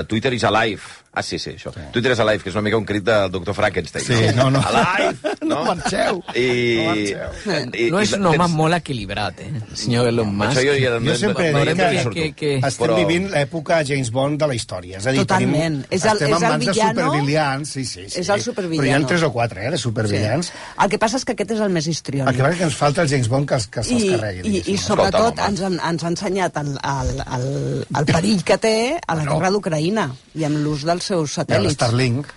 Twitter is alive. Ah, sí, això. Twitter is alive, que és una mica un crit del doctor Frankenstein. Sí, no. Alive! No marxeu. No és un home molt equilibrat, senyor Elon Musk. Jo sempre he dit que estem vivint l'època James Bond de la història. És a dir, totalment. Estem en mans de supervillans. Sí. És el supervillano. Però hi ha 3 o 4, de supervillans. El que passa és que aquest és el més histriònic. El que passa és que ens falta el James Bond que se'ls carregui. I sobretot ens ha ensenyat el perill que té a la guerra d'Ucraïna i amb l'ús dels seus satèl·lits. Starlink.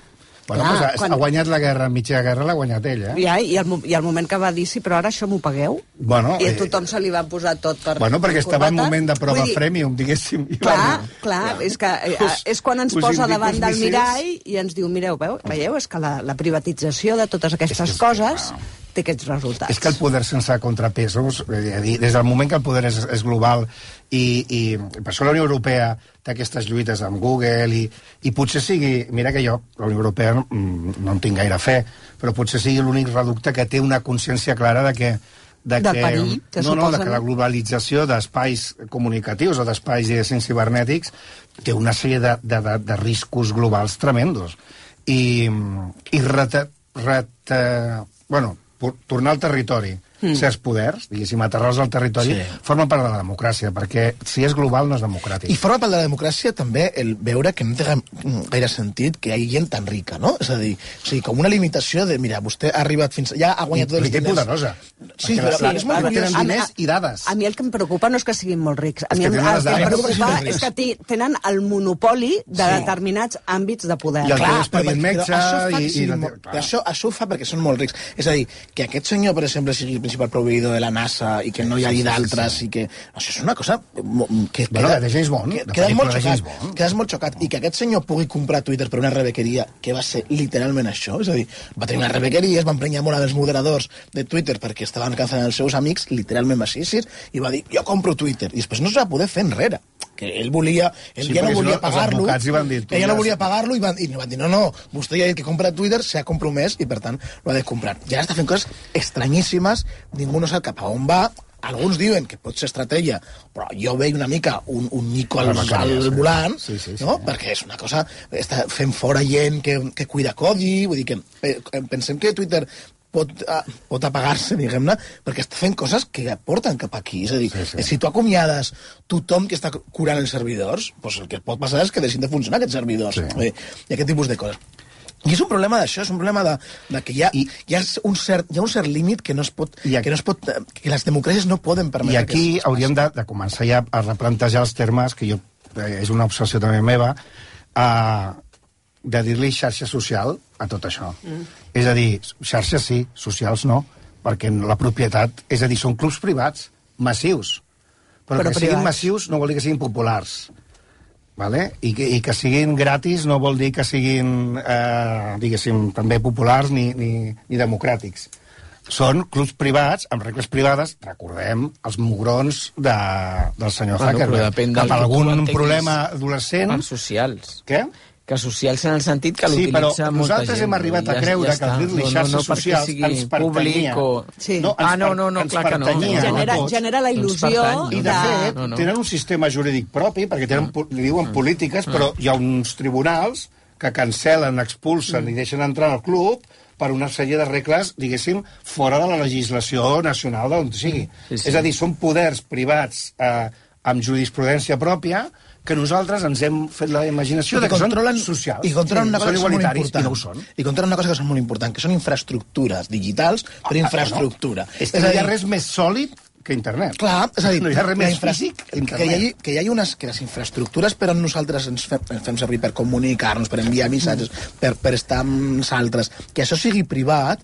Bueno, ha guanyat la guerra, mitja guerra l'ha guanyat ell, I al moment que va dir, sí, però ara això m'ho pagueu, i a tothom se li va posar tot per... Bueno, perquè estava en moment de prova freemium, diguéssim. Clar, és quan ens posa davant del mirall i ens diu, mireu, veieu, és que la privatització de totes aquestes coses té aquests resultats. És que el poder sense contrapesos, des del moment que el poder és global i per això la Unió Europea té aquestes lluites amb Google i potser sigui, mira que jo, la Unió Europea no en tinc gaire fe, però potser sigui l'únic reducte que té una consciència clara de que perill que suposa. Que la globalització d'espais comunicatius o d'espais cibernètics té una sèrie de riscos globals tremendos. I tornar al territori, certs poders, diguéssim, aterrar-los al territori, formen part de la democràcia, perquè si és global no és democràtic. I forma part de la democràcia també el veure que no té gaire sentit que hi hagi gent tan rica, no? És a dir, com una limitació de, mira, vostè ha arribat fins... Ja ha guanyat tots els diners. I poderosa. Sí, però és molt curiós. Tenen diners i dades. A mi el que em preocupa no és que siguin molt rics. A mi el que em preocupa és que tenen el monopoli de determinats àmbits de poder. I el teu expedient metge... Això ho fa perquè són molt rics. És a dir, que aquest senyor, per exemple, sigui el principal proveïdor de la NASA i que no hi hagi d'altres i que... Això és una cosa que de James Bond. Quedes molt xocat. I que aquest senyor pugui comprar Twitter per una rebequeria, que va ser literalment això, és a dir, va tenir una rebequeria, es va emprenyar molt amb els moderadors de Twitter perquè estaven cansant els seus amics, literalment va ser així, i va dir, jo compro Twitter. I després no es va poder fer enrere. Que ell ja no volia pagar-lo, ella no volia pagar-lo i van dir, no, vostè ja ha dit que compra Twitter, s'ha compromès i per tant ho ha de comprar. I ara està fent coses estranyíssimes, ningú no sap cap a on va, alguns diuen que pot ser estratègia, però jo veig una mica un Nico al volant, no? Perquè és una cosa, està fent fora gent que cuida codi, vull dir que pensem que Twitter pot apagar-se, diguem-ne, perquè està fent coses que porten cap aquí. És a dir, si tu acomiades tothom que està curant els servidors, doncs el que pot passar és que deixin de funcionar aquests servidors. I aquest tipus de coses. I és un problema d'això, és un problema de que hi ha un cert límit que que les democràcies no poden permetre. I aquí hauríem de començar ja a replantejar els termes, que és una obsessió també meva, de dir-li xarxa social a tot això. És a dir, xarxes sí, socials no, perquè la propietat, és a dir, són clubs privats, massius. Però que siguin massius no vol dir que siguin populars. Vale? I que siguin gratis no vol dir que siguin, diguéssim, també populars ni democràtics. Són clubs privats, amb regles privades, recordem els mugrons del senyor Zuckerberg. Cap a algun problema adolescent... Per socials. Què? Que socials en el sentit que l'utilitza molta gent. Sí, però nosaltres hem arribat a creure que dir-li xarxes socials ens pertanyia. Clar que no. Genera la il·lusió I de fet, tenen un sistema jurídic propi, perquè li diuen polítiques, però hi ha uns tribunals que cancel·len, expulsen i deixen entrar al club per una sèrie de regles, diguéssim, fora de la legislació nacional d'on sigui. És a dir, són poders privats amb jurisprudència pròpia que nosaltres ens hem fet la imaginació de que són socials. I controlen una cosa que són molt important. I no ho són. I controlen una cosa que són molt important, que són infraestructures digitals per infraestructura. És que no hi ha res més sòlid que internet. Clar, és a dir, no hi ha res més físic que internet. Que hi hagi que les infraestructures per on nosaltres ens fem servir per comunicar-nos, per enviar missatges, per estar amb els altres, que això sigui privat,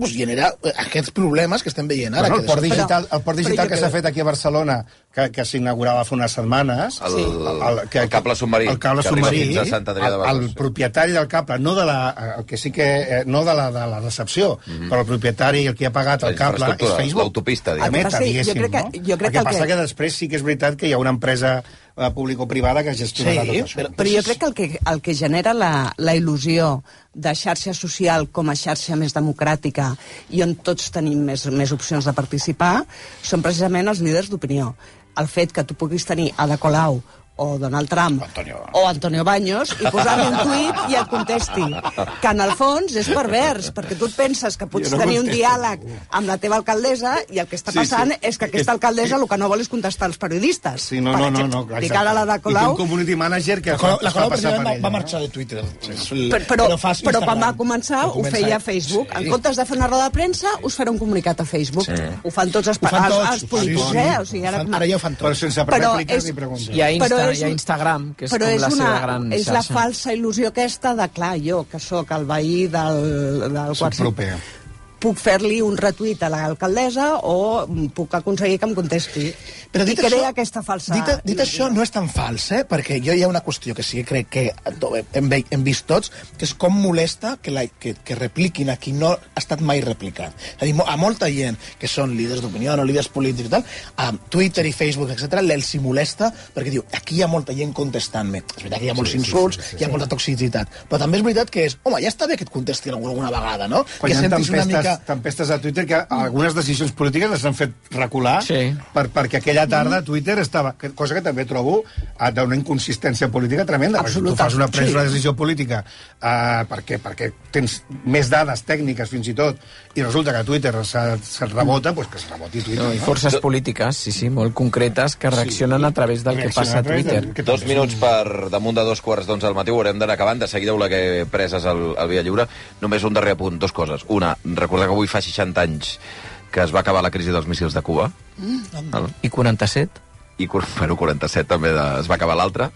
genera aquests problemes que estem veient ara. El port digital que s'ha fet aquí a Barcelona, que s'inaugurava fa unes setmanes. El cable submarí. El cable submarí. Fins a Sant Adrià de Besòs. El propietari del cable, no de la recepció, però el propietari, el que ha pagat el cable, és Facebook. L'autopista, diguem. Meta, diguéssim, no? El que passa que després sí que és veritat que hi ha una empresa público-privada que gestionarà tot això. Però jo crec que el que genera la il·lusió de xarxa social com a xarxa més democràtica i on tots tenim més opcions de participar són precisament els líders d'opinió. El fet que tu puguis tenir Ada Colau o Donald Trump o Antonio Baños i posar-li un tuit i et contesti. Que en el fons és pervers, perquè tu et penses que pots tenir un diàleg amb la teva alcaldessa i el que està passant és que aquesta alcaldessa el que no vol és contestar als periodistes. Sí, no. Dic ara la de Colau... I un community manager que la Colau precisament va marxar de Twitter. Però quan va començar ho feia a Facebook. En comptes de fer una roda de premsa, us farà un comunicat a Facebook. Ho fan tots els polítics, O sigui, ara ja ho fan tots. Però sense rèpliques ni preguntes. Hi ha Instagram, que és com la seva gran xarxa. És la falsa il·lusió aquesta de, clar, jo, que sóc el veí del quart proper, puc fer-li un retuit a l'alcaldessa o puc aconseguir que em contesti. Però I crea aquesta falsa... Dit això, no és tan fals, perquè jo hi ha una qüestió que sí que crec que hem vist tots, que és com molesta que repliquin a qui no ha estat mai replicat. És a dir, a molta gent que són líders d'opinió o líders polítics i tal, a Twitter i Facebook, etc., els hi molesta perquè diu, aquí hi ha molta gent contestant-me. És veritat que hi ha molts insults, hi ha molta toxicitat, però també és veritat que és, home, ja està bé que et contestin alguna vegada, no? Quan hi ha tempestes a Twitter que algunes decisions polítiques les han fet recular perquè aquella tarda Twitter estava... Cosa que també trobo d'una inconsistència política tremenda. Absoluta. Tu fas una decisió política perquè tens més dades tècniques fins i tot i resulta que Twitter se't rebota, doncs que es reboti Twitter. I forces polítiques, sí, molt concretes que reaccionen a través del que passa a Twitter. 2 minuts per damunt de 2:15 al matí, ho haurem d'anar acabant. De seguida ho que preses al Via Lliure. Només un darrer apunt, 2 coses. Una, recordar que avui fa 60 anys que es va acabar la crisi dels míssils de Cuba. I 47? I 47 també es va acabar l'altra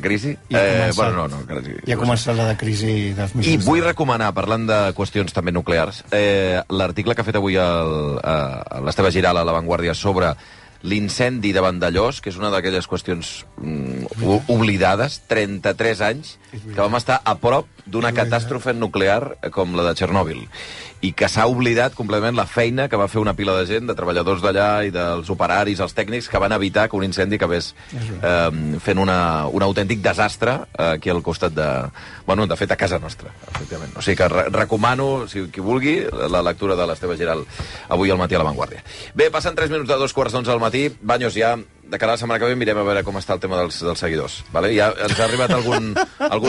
crisi. I ha començat la de crisi dels míssils. I vull recomanar, parlant de qüestions també nuclears, l'article que ha fet avui l'Esteve Giral a La Vanguardia sobre l'incendi de Vandellós, que és una d'aquelles qüestions oblidades, 33 anys, que vam estar a prop d'una catàstrofe nuclear com la de Txernòbil, i que s'ha oblidat completament la feina que va fer una pila de gent, de treballadors d'allà i dels operaris, els tècnics, que van evitar que un incendi acabés fent un autèntic desastre aquí al costat de... Bueno, de fet, a casa nostra, efectivament. O sigui que recomano, si qui vulgui, la lectura de l'Esteve Giral avui al matí a La Vanguardia. Bé, passen 3 minuts de 2:15 al matí. Baños, ja de cara a la setmana que ve mirem a veure com està el tema dels seguidors. Vale? Ja ens ha arribat algun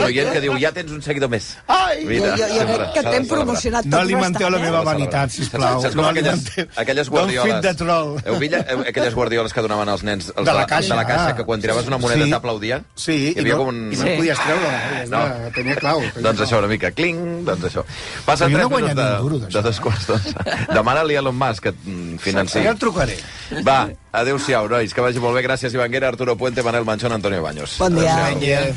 oient que diu, ja tens un seguidor més. Ai! Jo crec que t'hem promocionat tot. No alimenteu la meva vanitat, sisplau. Saps com aquelles guardioles? Heu vist aquelles guardioles que donaven als nens de la caixa, que quan tiraves una moneda t'aplaudien? Sí, i no podies treure-la. Tenia clau. Doncs això, una mica, cling, doncs això. Passen 3 minuts de 2:15. Demana-li a Elon Musk que et financi. Ja el trucaré. Va, adéu-siau, nois, que vagi molt bé. Gràcies, Ivanguera, Arturo Puente, Manel Manchón, Antonio Baños. Bon dia.